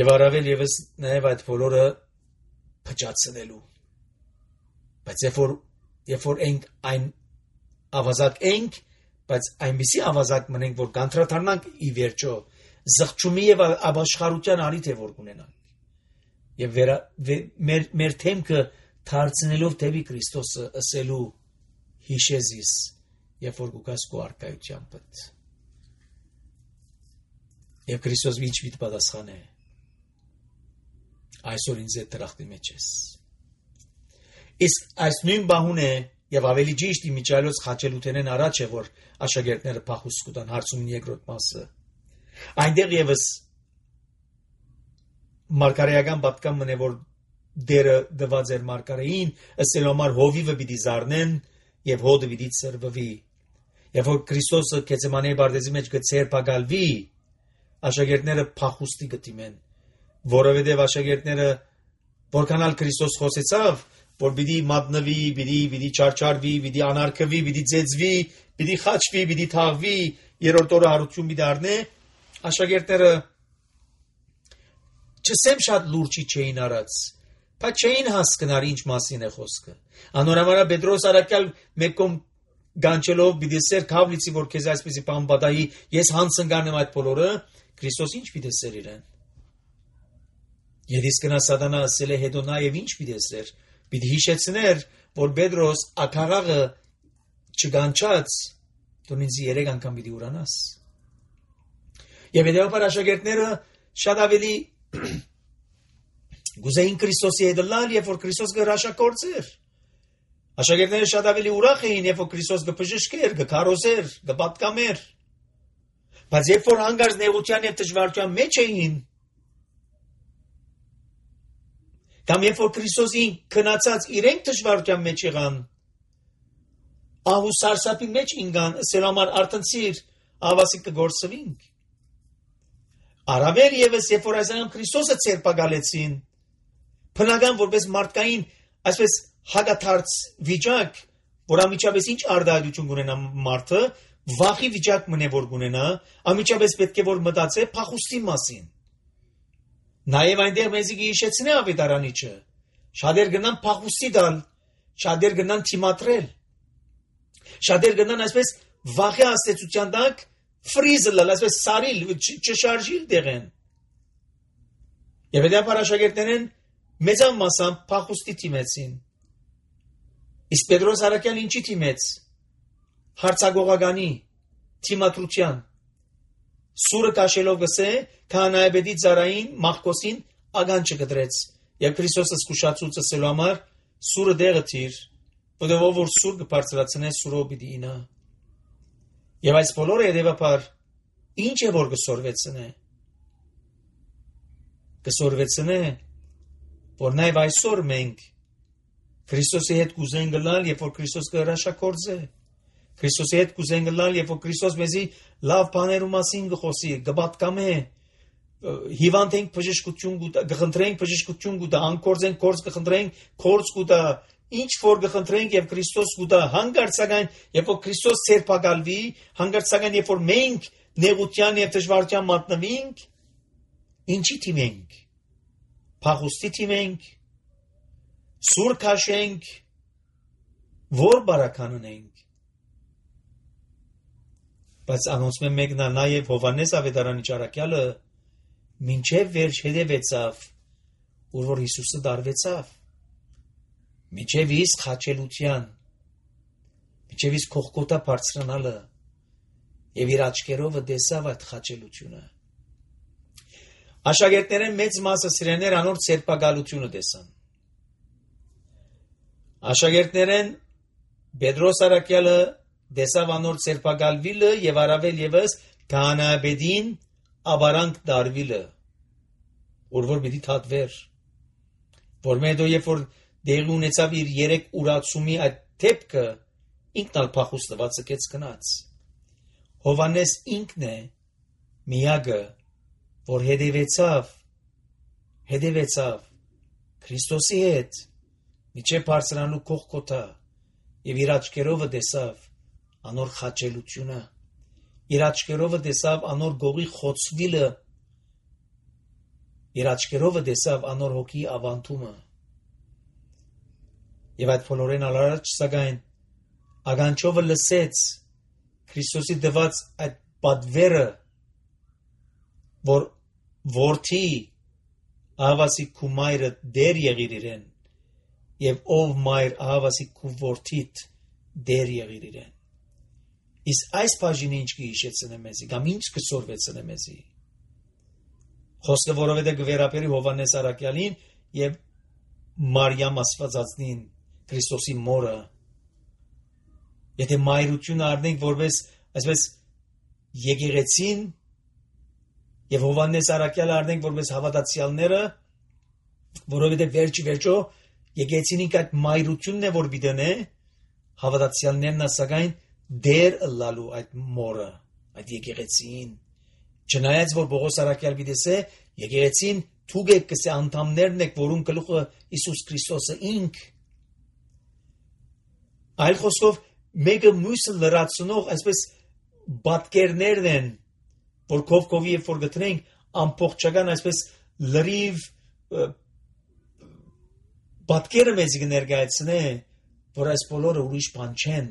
A: եւ առավել եւս նաեւ այդ բոլորը փճացնելու։ Բայց երբ որ երբ որ ենք այն ավազակ ենք, բայց այնպիսի ավազակ մնենք, որ կանտրադառնանք ի վերջո զղջումի եւ ապաշխարության արիթ է որ ունենանք։ Եվ վերա, վե, մեր, մեր թեմքը դարձնելով դեպի Քրիստոսը ասելու հիշեզիս, երբ որ գուկաս քո արկայության պտ։ Եվ Քրիստոս ինչ վիճ պատասխան է։ Այսօր ինձ է տրախտի մեջ ես։ Իսկ այս նույն բահուն է եւ ավելի ճիշտ իմիջայլոց խաչելութենեն առաջ է որ աշակերտները փախուստ կտան հարցումն երկրորդ մասը։ Այնտեղ եւս մարգարեական պատկան մնե որ դերը դված էր մարգարեին, ըստ համար հովիվը պիտի զառնեն եւ հոդը պիտի ծրվվի։ Եվ որ Քրիստոսը Գեթսեմանի բարձի մեջ գցերպակալվի, աշակերտները փախուստի գտիմեն, որովհետեւ աշակերտները որքանալ Քրիստոս խոսեցավ, որ պիտի մատնվի, պիտի պիտի չարչարվի, պիտի անարգվի, պիտի ծեծվի, պիտի խաչվի, պիտի թաղվի, երրորդ օրը հարություն պիտի առնե, աշակերտները չսեմ շատ լուրջի չէին արած, բայց չէին հասկնար ինչ մասին է խոսքը։ Անորամարա Պետրոս արաքյալ մեկում գանչելով պիտի սեր քավլիցի որ քեզ այսպեսի բան պատահի, ես հանցնգանեմ այդ բոլորը, Քրիստոս ինչ պիտի սեր իրեն։ Եվ իսկ նա սատանա ասել է հետո նաև ինչ պիտի սեր, պիտի հիշեցներ, որ Պետրոս ակարաղը չգանչած, դու ինձ երեք անգամ պիտի ուրանաս։ Եվ հետևաբար աշակերտները շատ ավելի գուզեին Քրիստոսի հետ լալ, երբ որ Քրիստոս գհրաշագործեր։ Աշակերտները շատ ավելի ուրախ էին, երբ որ Քրիստոս գբժշկեր, գքարոզեր, գպատկամեր։ Բայց երբ որ հանգարց նեղության եւ դժվարության մեջ էին, կամ երբ որ Քրիստոսին քնացած իրենք դժվարության մեջ եղան, ահու սարսափի մեջ ինգան, ասել համար արտնցիր, ավասիկ կգործվինք։ Արավել եւս երբ որ այս անգամ Քրիստոսը ցերպակալեցին, բնական որպես մարդկային, այսպես հագաթարց վիճակ, որ ամիջապես ինչ արդայություն կունենա մարդը, վախի վիճակ մնե որ կունենա, ամիջապես պետք է որ մտածե փախուստի մասին։ Նաև այնտեղ մեզի հիշեցնե ավետարանիչը, շատեր գնան փախուստի դալ, շատեր գնան թիմատրել, շատեր գնան այսպես վախի աստեցության տակ ֆրիզը լալ, այսպես սարիլ, չշարժիլ դեղեն։ Եվ հետո աշակերտներն մեծան մասամբ փախուստի թիմեցին։ Իսկ Պետրոս արաքյալ ինչի թիմեց։ Հարցագողականի թիմատրության։ Սուրը կաշելով գսե, քահանայապետի ծառային Մախկոսին ագան չգտրեց։ Եվ Քրիստոսը զսկուշացուց ասելու համար սուրը դեղը թիր, որովհետև որ սուր կբարձրացնե սուրով պիտի ինա։ Եվ այս բոլորը հետևաբար ինչ է որ կսորվեցնե։ Կսորվեցնե, որ նաև այսօր մենք Քրիստոսի հետ կուզեն գնալ, երբ որ Քրիստոս կհրաշագործե։ Քրիստոսի հետ կուզեն գնալ, երբ որ Քրիստոս մեզի լավ բաներու մասին կխոսի, կպատկամե, հիվանդ ենք բժշկություն կուտա, կխնդրենք բժշկություն կուտա, անկորձենք կորձ կխնդրենք, կորձ կուտա, ինչ որ կխնդրենք եւ Քրիստոս կուտա, հանգարցական, երբ որ Քրիստոս ցերպակալվի, հանգարցական, երբ որ մենք նեղության եւ դժվարության մատնվենք, ինչի թիմենք։ Փախուստի թիմենք, սուր քաշենք, որ բարականնենք։ Բայց անոնցմեն մեկնա նաև Հովանես ավետարանի ճարակյալը մինչև վերջ հետևեցավ, ուր որ Հիսուսը դարվեցավ, մինչև իսկ խաչելության, մինչև իսկ կողկոտա բարձրանալը եւ իր աչքերովը տեսավ այդ խաչելությունը։ Աշակերտները մեծ մասը սիրեներ անոր ցերպակալությունը տեսան։ Աշակերտներեն Պետրոս արաքյալը տեսավ անոր ցերպակալվիլը եւ առավել եւս քահանայապետին աբարանք դարվիլը, որ որ պիտի թաթվեր, որ մեդո երբ որ դեղի ունեցավ իր երեք ուրացումի այդ դեպքը, ինքն ալ փախուստված եկեց գնաց։ Հովանես ինքն է միակը, որ հետևեցավ, հետևեցավ Քրիստոսի հետ, միջև բարձրանալու կողքոտա եւ իր աչքերովը տեսավ անոր խաչելությունը, իր աչքերովը տեսավ անոր գողի խոցվիլը, իր աչքերովը տեսավ անոր հոգի ավանդումը։ Եվ այդ բոլորեն ալարաջ սակայն ագանչովը լսեց Քրիստոսի դված այդ պատվերը որ որդի ահավասիկ քու մայրը դեր եղիր իրեն եւ ով մայր ահավասիկ քու որդիդ դեր եղիր իրեն։ Իսկ այս բաժինը ինչ կհիշեցնե մեզի, կամ ինչ կսորվեցնե մեզի։ Խոսքը որովհետեւ գվերապերի Հովանես Արաքյալին եւ Մարիամ Աստվածածնին Քրիստոսի մորը։ Եթե մայրությունը առնենք որպես այսպես եկեղեցին եւ Հովանես Արաքյալը առնենք որպես հավատացյալները, որովհետեւ վերջի վերջո եկեղեցին ինքը այդ մայրությունն է որ բիդենե հավատացյալներն ասակայն դեր լալու այդ մորը, այդ եկեղեցին։ Չնայած որ Պողոս Արաքյալ գիտեսե եկեղեցին թուգ է կսե անդամներն եք, որուն գլուխը Իսուս Քրիստոսը ինք։ Այլ խոսքով մեկը մյուսը լրացնող այսպես բատկերներն են, որ կով կովի երբ որ գտնենք ամբողջական այսպես լրիվ բատկերը մեզ կներկայացնե, որ այս բոլորը ուրիշ բան չեն,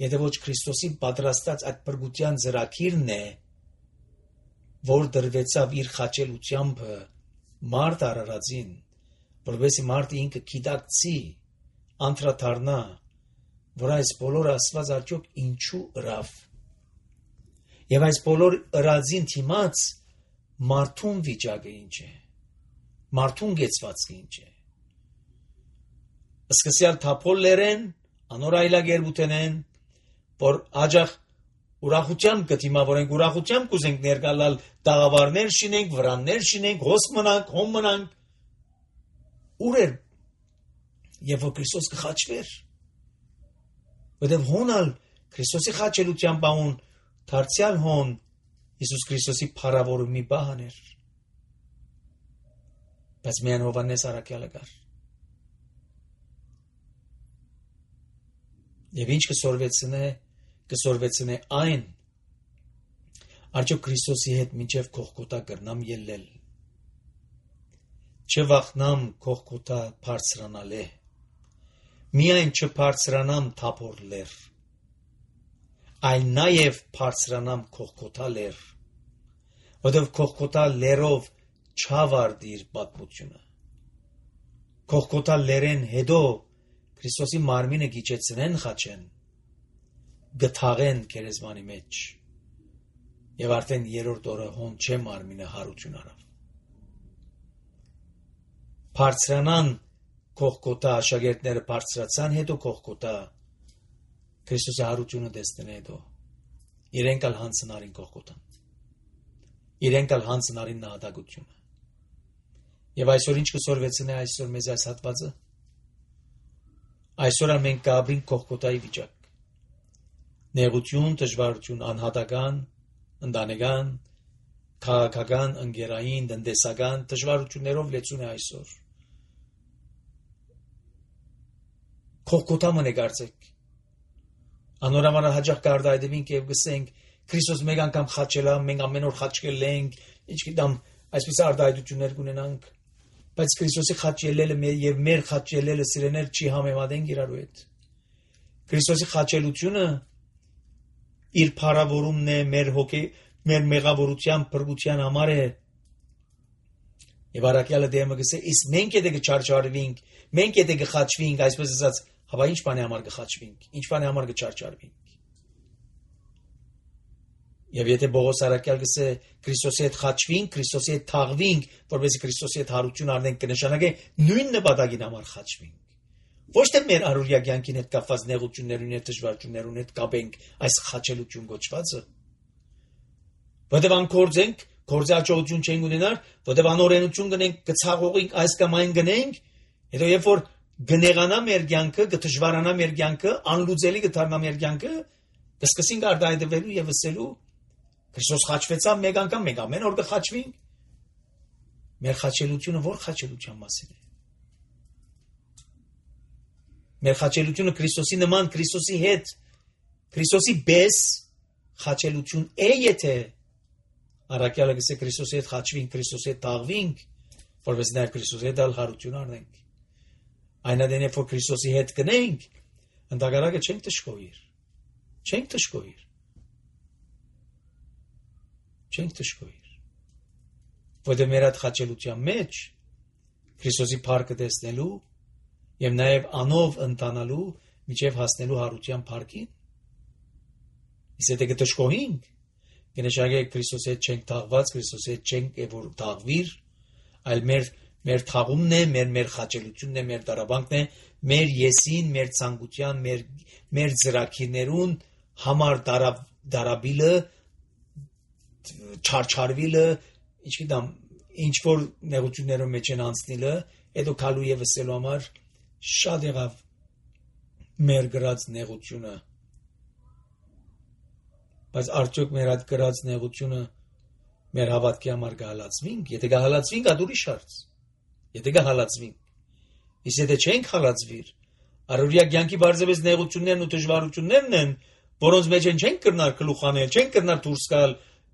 A: եթե ոչ Քրիստոսի պատրաստած այդ բրգության ծրագիրն է, որ դրվեցավ իր խաչելությամբ մարդ արարածին, որովհետեւ մարդը ինքը գիտակցի, անդրադառնա, որ այս բոլորը Աստված արդյոք ինչու ըրավ։ Եվ այս բոլոր ըրածին թիմած մարդուն վիճակը ինչ է, մարդուն գեցվածքը ինչ է։ Սկսյալ թափոլներեն, անոր այլագերբութենեն, որ աջախ ուրախությամբ կդիմավորենք, ուրախությամբ կուզենք ներկալալ տաղավարներ շինենք, վրաններ շինենք, հոս մնանք, հոմ մնանք, ուր էր, եւ որ Քրիստոս կխաչվեր, որտեւ հոնալ Քրիստոսի խաչելության բանուն դարձյալ հոն Իսուս Քրիստոսի փառավորումի բան էր, բայց միայն Հովանես Արաքյալը կար։ Եվ ինչ կսորվեցնե, կսորվեցնե այն, արդյոք Քրիստոսի հետ մինչև Գողգոթա կրնամ ելնել, չվախնամ Գողգոթա բարձրանալ է, միայն չբարձրանամ Թափոր լեռ, այլ նաև բարձրանամ Գողգոթա լեռ, որովհետև Գողգոթա լեռով չավարտիր պատմությունը։ Գողգոթա լեռեն հետո Քրիստոսի մարմինը գիճեցնեն խաչեն, գթաղեն քերեզմանի մեջ, եւ արդեն երրորդ օրը հոն չէ մարմինը հարություն արավ։ Բարձրանան Գողգոթա աշակերտները բարձրացան հետո Գողգոթա Քրիստոսի հարությունը տեսնեն հետո իրենք ալ հանցնարին Գողգոթան, իրենք ալ հանցնարին նահատակությունը։ Եվ այսօր ինչ կսորվեցնե այսօր մեզ այս հատվածը։ Այսօր մենք կապրենք Գողգոթայի վիճակ։ Նեղություն, դժվարություն, անհատական, ընտանեկան, քաղաքական, ընկերային, տնտեսական դժվարություններով լեցուն է այսօր։ Գողգոթա մնեկարծեք։ Անորամար հաջող կարդայդվինք եւ գսենք Քրիստոս մեկ անգամ խաչելա, մենք ամեն օր խաչկել ենք, ինչ գիտեմ, այսպես արդայդություններ կունենանք։ Բայց Քրիստոսի խաչ ելելը եւ մեր խաչ ելելը սիրեներ չի համեմատենք իրարու հետ։ Քրիստոսի խաչելությունը իր փառավորումն է, մեր հոգի, մեր մեղավորության, փրկության համար է։ Եվ Արաքյալը դեմը գսե, իսկ մենք եթե կչարչարվենք, մենք եթե կխաչվենք, այսպես ասած, հաբա ինչ բանի համար կխաչվենք, ինչ բանի համար կչարչարվենք։ Եվ եթե Պողոս Արաքյալ գսե Քրիստոսի հետ խաչվենք, Քրիստոսի հետ թաղվենք, որովհետեւ Քրիստոսի հետ հարություն առնենք, կնշանակե նույն նպատակին համար խաչվենք։ Ոչ թե մեր առօրյա կյանքին հետ կապված նեղություններուն եւ դժվարություններուն հետ կապենք այս խաչելություն գոչվածը։ Որտեւ անկորձենք, կորձի աջողություն չենք ունենալ, որտեւ անօրենություն գնենք, կցաղողենք, այս կամ այն գնենք, հետո երբ որ գնեղանա մեր կյանքը, կդժվարանա մեր կյանքը, անլուծելի կդառնա մեր կյանքը, կսկսենք արդայդվելու եւ ասելու Քրիստոս խաչվեցավ մեկ անգամ, մենք ամեն օր կխաչվենք։ Մեր խաչելությունը ո՞ր խաչելության մասին է։ Մեր խաչելությունը Քրիստոսի նման, Քրիստոսի հետ, Քրիստոսի պես խաչելություն է, եթե Արաքյալը գսե Քրիստոսի հետ խաչվենք, Քրիստոսի հետ թաղվենք, որպես նաև Քրիստոսի հետ հարություն առնենք։ Այնադեն երբ որ Քրիստոսի հետ գնենք, ընդհանրակը չենք դժգոհիր։ Չենք դժգոհիր։ Չենք դժգոհիր։ որտեղ մեր այդ խաչելության մեջ Քրիստոսի փառքը տեսնելու եւ նաեւ անով ընտանալու միջև հասնելու հարության փառքին։ Իսկ եթե կտժկոհենք, կնշանակե Քրիստոսի հետ չենք թաղված, Քրիստոսի հետ չենք որ թաղվիր, այլ մեր մեր թաղումն է, մեր մեր խաչելությունն է, մեր դարաբանքն է, մեր եսին, մեր ցանկության, մեր մեր ծրակիրներուն համար դարավ դարաբիլը չարչարվիլը, ինչքան ինչ որ նեղություններով մեջ են անցնիլը, հետո քալու եւ վսելու համար շատ եղավ մեր գրած նեղությունը։ Բայց արդյոք մեր այդ գրած նեղությունը մեր հավատքի համար կհալածվինք, եթե կհալածվինք, այդ ուրիշ հարց։ Եթե կհալածվինք, իսկ եթե չենք հալածվիր, առօրյա կյանքի բարձրապես նեղություններն ու դժվարություններն են, որոնց մեջ են չենք կրնար գլուխանել, չենք կրնար դուրս գալ,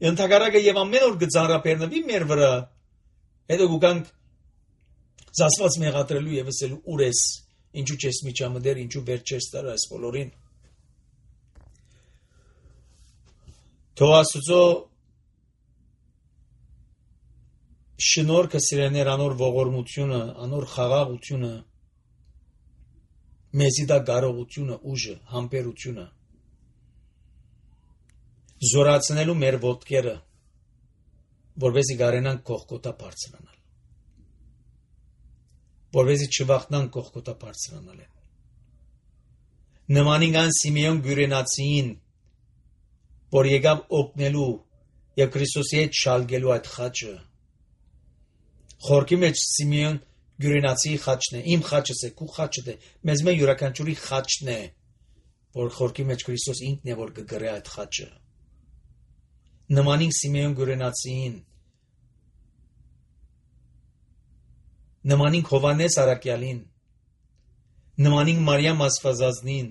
A: ընդհակառակը եւ ամեն օր կծանրաբեռնվի մեր վրա, հետո գուկանք զասված մեղադրելու եւ ասելու ուր ես, ինչու չես միջամտել, ինչու վեր չես տար այս բոլորին։ Թող Աստծո շնորհքը սիրեներ անոր ողորմությունը, անոր խաղաղությունը, մեզի դա կարողությունը, ուժը, համբերությունը զորացնելու մեր ոտքերը, որովհետեւ գարենան կողքոտա բարձրանալ, որովհետեւ չվախնան կողքոտա բարձրանալ։ Նմանին ան Սիմեոն Գյուրենացին, որ եկավ օգնելու եւ Քրիստոսի հետ շալգելու այդ խաչը։ Խորքի մեջ Սիմեոն Գյուրենացի խաչն է, իմ խաչս է, քու խաչդ է, մեզ մե յուրաքանչյուրի խաչն է, որ խորքի մեջ Քրիստոս ինքն է, որ կգրե այդ խաչը։ Նմանին Սիմեոն Գյուրենացին, նմանին Հովանես Արաքյալին, նմանին Մարիամ Աստվածածնին,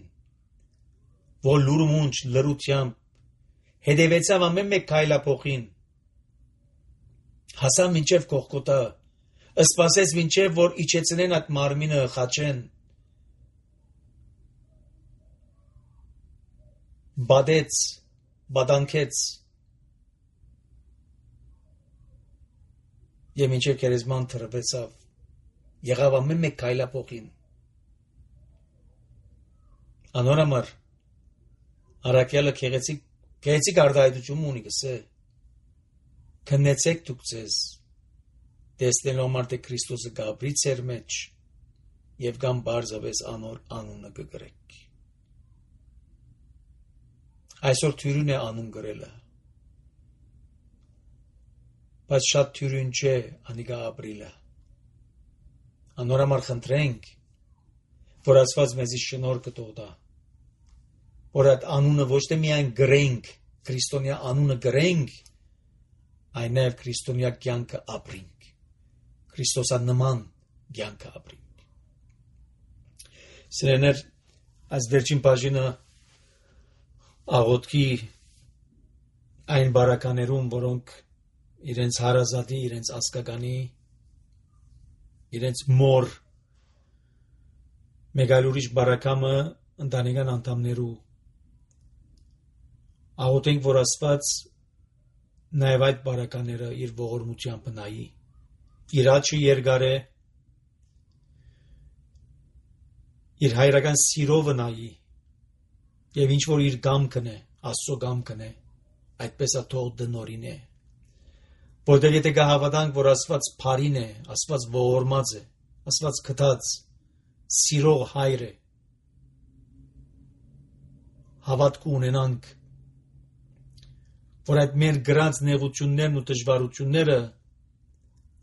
A: որ լուրմունջ լրությամբ հետևեցավ ամեն մեկ քայլափոխին, հասավ մինչև Գողգոթա, սպասեց մինչև որ իջեցնեն այդ մարմինը խաչեն, բադեց, բադանքեց եւ մինչև քերեզման թրվեցավ, եղավ ամեն մեկ քայլափոխին։ Անոր համար Արաքյալը քեղեցիկ քեղեցիկ արտահայտություն ունի գսե, քննեցեք դուք ձեզ, տեսնելով համար թե Քրիստոսը գաբրի ծեր մեջ եւ կամ բարձավես անոր անունը կգրեք։ Այսօր թյուրին է անուն գրելը, բայց շատ թյուրին չէ անիկա ապրիլը։ Անոր համար խնդրենք, որ Աստված մեզի շնորհքը տա, որ այդ անունը ոչ թե միայն գրենք, քրիստոնյա անունը գրենք, այլ նաեւ քրիստոնյա կյանքը ապրենք, Քրիստոսանման կյանքը ապրենք։ Սիրեներ, այս վերջին բաժինը աղոթքի այն բարականերում, որոնք իրենց հարազատի, իրենց ասկականի, իրենց մոր մեկ այլ ուրիշ բարակամը ընտանեկան անդամներու աղոթենք, որ Աստված նաև այդ բարակաները իր ողորմությամբ նայի, իր աչքը երկար է, իր հայրական սիրով նայի եւ ինչ որ իր գամքն է, Աստծո գամքն է, այդպես է թող դնորին է, որտեղ եթե կհավատանք, որ Աստված փարին է, Աստված ողորմած է, Աստված քթած սիրող հայր է, հավատք ունենանք, որ այդ մեր գրած նեղություններն ու դժվարությունները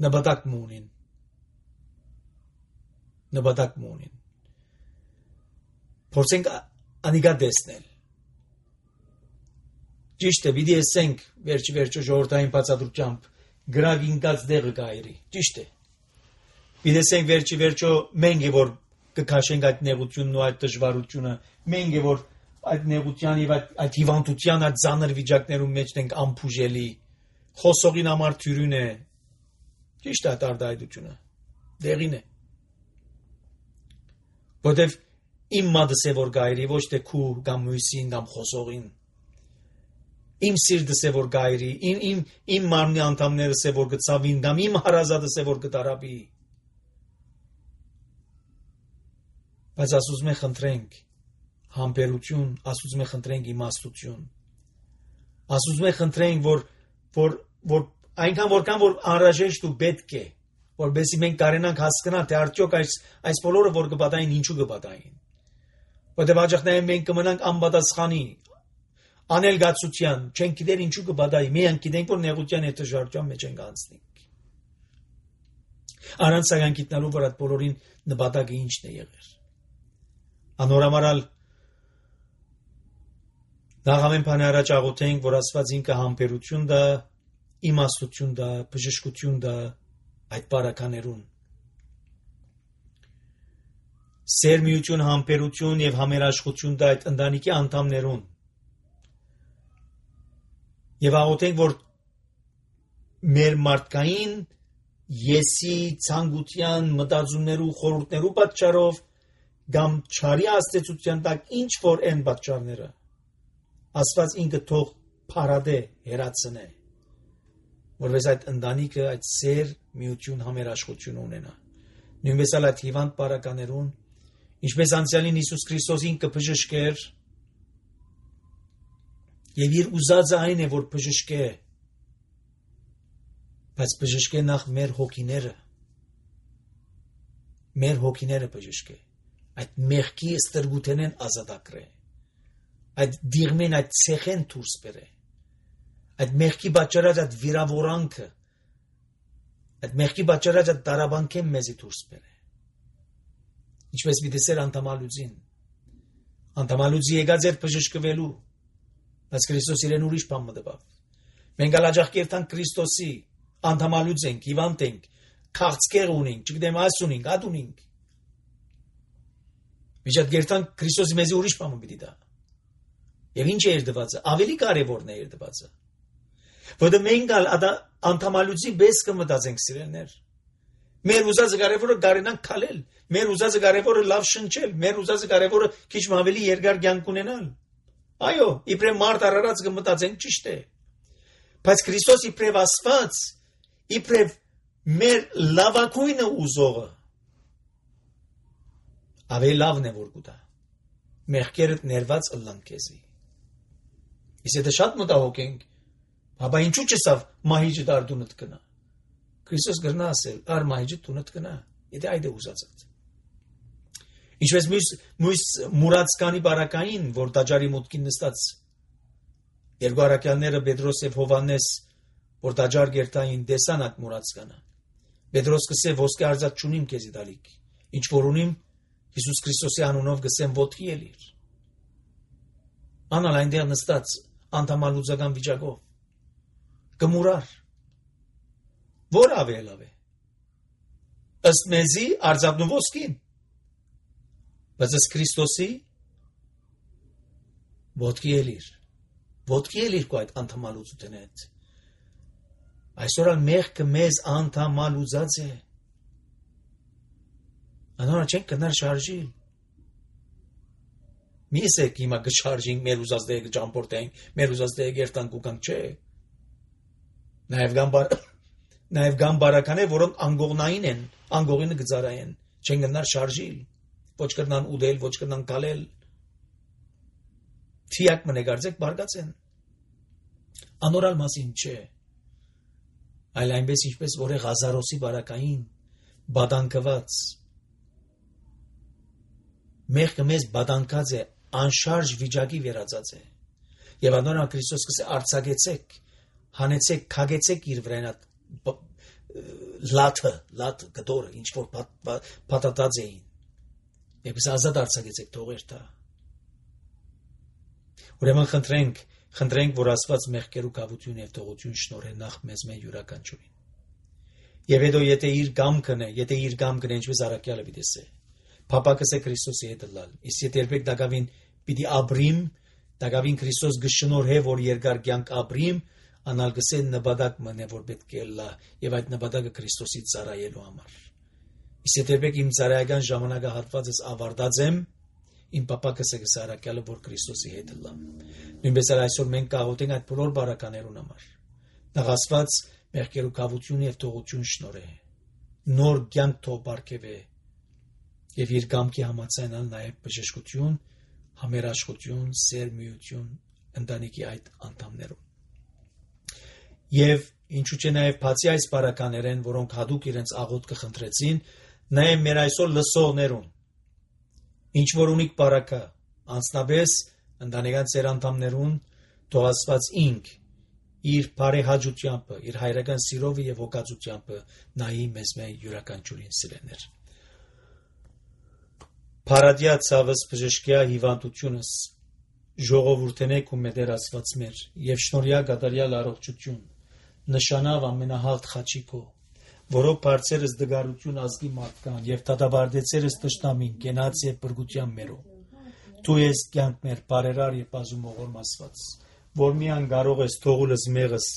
A: նպատակ ունին, նպատակ ունին, փորձենք անիկա տեսնել, ճիշտ է, պիտի ասենք վերջի վերջո ժողովրդային բացատրությամբ գրավ ինքած դեղը գայրի, ճիշտ է, պիտի ասենք վերջի վերջո մենք է որ կքաշենք այդ նեղությունն ու այդ դժվարությունը, մենք է որ այդ նեղության եւ այդ, այդ հիվանդության այդ ծանր վիճակներում մեջ ենք ամփուժելի, խոսողին համար թյուրին է, ճիշտ է արտահայտությունը, դեղին է, որտեւ իմ մատս է որ գայրի, ոչ թե քու կամ մույսին կամ խոսողին, Իմ սիրտս է որ գայրի, իմ իմ իմ մարմնի անդամներս է որ գծավին, կամ իմ հարազատս է որ գտարաբի։ Բայց ասում ենք խնդրենք համբերություն, ասում ենք խնդրենք իմաստություն։ Ասում ենք խնդրենք որ որ որ այնքան որքան որ անհրաժեշտ ու պետք է, որովհետեւ մենք կարենանք հասկանալ թե արդյոք այս այս բոլորը որ կպատային ինչու կպատային։ Որտեղ աջակցները մենք կմնանք անպատասխանի, անելգացության, չենք գիտեր ինչու կպատայի, մենք գիտենք որ նեղության հետ շարժման մեջ ենք անցնենք։ Առանց սակայն գիտնալու որ այդ բոլորին նպատակը ինչն է եղել։ Անորամարալ Նախամեն բանը առաջ աղոթենք, որ Աստված ինքը համբերություն դա, իմաստություն դա, բժշկություն դա այդ բարականերուն։ Սերմիություն, համբերություն եւ համերաշխություն դա այդ ընտանիքի անդամներուն։ Եվ աղոթենք, որ մեր մարդկային եսի ցանկության մտածումներու խորհուրդներու պատճառով կամ չարի աստեցության տակ ինչ որ են պատճառները Աստված ինքը թող փարադե հերացնե, որպես այդ ընտանիքը այդ սեր միություն համերաշխություն ունենա։ Նույնպես էլ այդ հիվանդ բարականերուն, ինչպես անցյալին Հիսուս Քրիստոսին կբժշկեր, եւ իր ուզածը այն է, որ բժշկե, բայց բժշկե նախ մեր հոգիները, մեր հոգիները բժշկե, այդ մեղքի ստրգութենեն ազատագրե, այդ դիրմեն այդ ցեխեն դուրս բերե, այդ մեղքի պատճառած այդ վիրավորանքը, այդ մեղքի պատճառած այդ տարաբանքեն մեզի դուրս բերե։ Ինչպես մի դեսեր անդամալուծին, անդամալուծի եկած էր բժշկվելու, բայց Քրիստոս իրեն ուրիշ բան մտավ։ Մենք ալաջախկերտանք Քրիստոսի, անդամալուծ ենք, հիվանդ ենք, քաղցկեղ ունենք, չգիտեմ այս ունենք, ատ ունենք։ Միջատ գերտանք Քրիստոսի մեզի ուրիշ բան մտի դա։ Եվ ինչ է երդվածը, ավելի կարևորն է երդվածը։ Որտեղ մենք անդամալուծի պես կմտածենք սիրելներ։ Մեր ուզածը կարևորը գարենանք քալել, մեր ուզածը կարևորը լավ շնչել, մեր ուզածը կարևորը քիչ ավելի երկար կյանք ունենալ։ Այո, իբրև մարդ արարած կմտածենք ճիշտ է։ Բայց Քրիստոս իբրև Աստված, իբրև մեր լավակույնը ուզողը ավելի լավն է որ կուտա։ Մեղքերդ ներված ըլլան քեզի։ Իսկ եթե շատ մտահոգ ենք, ապա ինչու՞ չսավ մահիճը դարդունդ կնա։ Քրիստոս գրնա ասել, ար մահիճը տունդ կնա, եթե այդ է ուզածդ։ Ինչպես մյուս մյուս մուրացկանի բարակային, որ տաճարի մուտքին նստած երկու առաքյալները Պետրոս եւ Հովանես, որ տաճար գերտային դեսան այդ մուրացկանը։ Պետրոս կսե ոսկե արծաթ չունիմ քեզի դալիք, ինչ որ ունիմ Հիսուս Քրիստոսի անունով գսեմ ոտքի ելիր։ Անալ այնտեղ նստած անդամալուծական վիճակով կմուրար։ Որ ավելավ է։ Ըստ մեզի արծաթն ու ոսկին։ Բայց ըստ Քրիստոսի ոտքի ելիր։ Ոտքի ելիր քո այդ անդամալուծության հետ։ Այսօր ալ մեղքը մեզ անդամալուծած է։ Անոնա չենք կնար շարժիլ։ Միս է հիմա գշարժին մեր ուզած դե կճամփորդենք, մեր ուզած դե գերտանք ու կանք չէ։ Նաև գամբար նաև գամբարականներ, որոնք անգողնային են, անգողինը գծարային, չեն կնար շարժիլ, ոչ կնան ուդել, ոչ կնան կալել։ Թիակ մնեգարձեք բարգացեն։ Անորալ մասին չէ։ Այլ այնպես ինչպես որ է Ղազարոսի բարակային, բադանկված մեղքը մեզ բադանկած է, անշարժ վիճակի վերածած է։ Եվ անոնա Քրիստոս կսե արձակեցեք, հանեցեք, քագեցեք իր վրան լաթը, լաթ գդորը, ինչ որ պատատած էին։ Եվ ազատ արձակեցեք թողեր դա։ Ուրեմն խնդրենք, խնդրենք, որ Աստված մեղքերու կավություն եւ թողություն շնորհե նախ մեզ մեր յուրաքանչյուրին։ Եվ հետո եթե իր գամքն է, եթե իր գամքն է, ինչպես առաքյալը պիտի Փապակս է Քրիստոսի հետ լալ։ Իսկ եթե երբեք դակավին պիտի ապրիմ, դակավին Քրիստոս գշնորհե որ երկար կյանք ապրիմ, անալ գսեն նպատակ մնե որ պետք է լա, եւ այդ նպատակը Քրիստոսի ծառայելու համար։ Իսկ եթե երբեք իմ ծառայական ժամանակահատվածս ավարտած եմ, իմ պապակս է գսարակյալը, որ Քրիստոսի հետ լա։ Նույնպես էլ այսօր մենք կաղոթենք այդ բոլոր բարականերուն համար։ Նախասված մեղքերու կավություն եւ թողություն շնորհե։ Նոր կյանք թող բարգեւե եւ իր կամքի համաձայնալ նաեւ բժշկություն, համերաշխություն, սերմիություն ընտանիքի այդ անդամներում։ Եվ ինչու՞ չէ նաեւ բացի այս բարականերեն, որոնք հadoop իրենց աղոթքը խնդրեցին, նաեւ մեր այսօր լսողներուն ինչ որ ունիք բարակա, անձնապես ընտանեկան ծեր անդամներուն թող Աստված ինք իր բարեհաճությամբ, իր հայրական սիրով եւ հոգացությամբ նայի մեզ մեր յուրաքանչյուրին սիրեներ։ Փարադիա ցավս բժշկյա հիվանդությունս ժողովուրդենեք ու մեդեր Աստված մեր եւ շնորհյա գադարյալ առողջություն նշանավ ամենահաղթ խաչիկո որով բարձերս դգարություն ազգի մարդկան եւ դատավարդեցերս տշնամին կենաց եւ բրգության մերո դու ես կյանք մեր բարերար եւ բազումողոր Աստված որ միան կարող ես թողուլս մեղս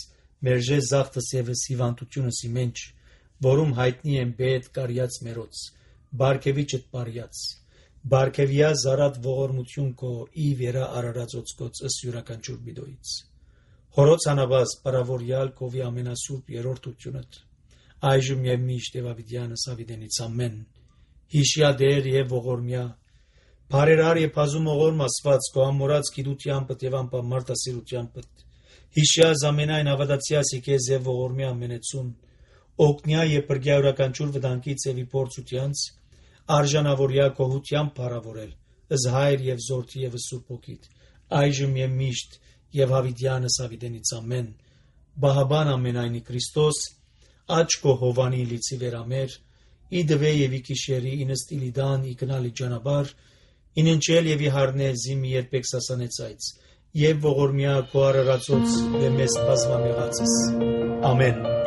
A: մերժե զախտս եւս հիվանդությունս իմենջ որում հայտնի են բեդ կարյաց մերոց բարգեվիչդ բարյաց բարգեվիա զարատ ողորմություն քո ի վերա արարածոցկոց ըս յուրաքանչյուր բիդոից հորոց անաբաս բարավորյալ քովի ամենասուրբ երրորդությունդ այժմ եւ միշտ եւ ավիդյանս ավիդենից ամեն հիշյա դեր եւ ողորմյա բարերար եւ բազումողոր Աստված քո ամորած գիտությամբ եւ անպամարտասիրությամբ հիշյա զամենայն ավադացիաս եկես եւ ողորմյա ամենեցուն օգնյա եւ բրգյա յուրաքանչյուր վտանգից եւ իփորձությանց արժանավորյա կողությամբ բարավորել ըզ հայր եւ զորթի եւ սուրբ ոգիտ այժմ եւ միշտ եւ հավիդյանս ավիդենից ամեն բահաբան ամենայնի Քրիստոս աչքո հովանի լիցի վերամեր իդվե եւ իկիշերի ինստիլիդան իկնալի ջանաբար ինընչել եւ իհարնե զիմի երբեք սասանեցայց եւ ողորմյա քո արարածոց եւ մեզ բազմամեղացես ամեն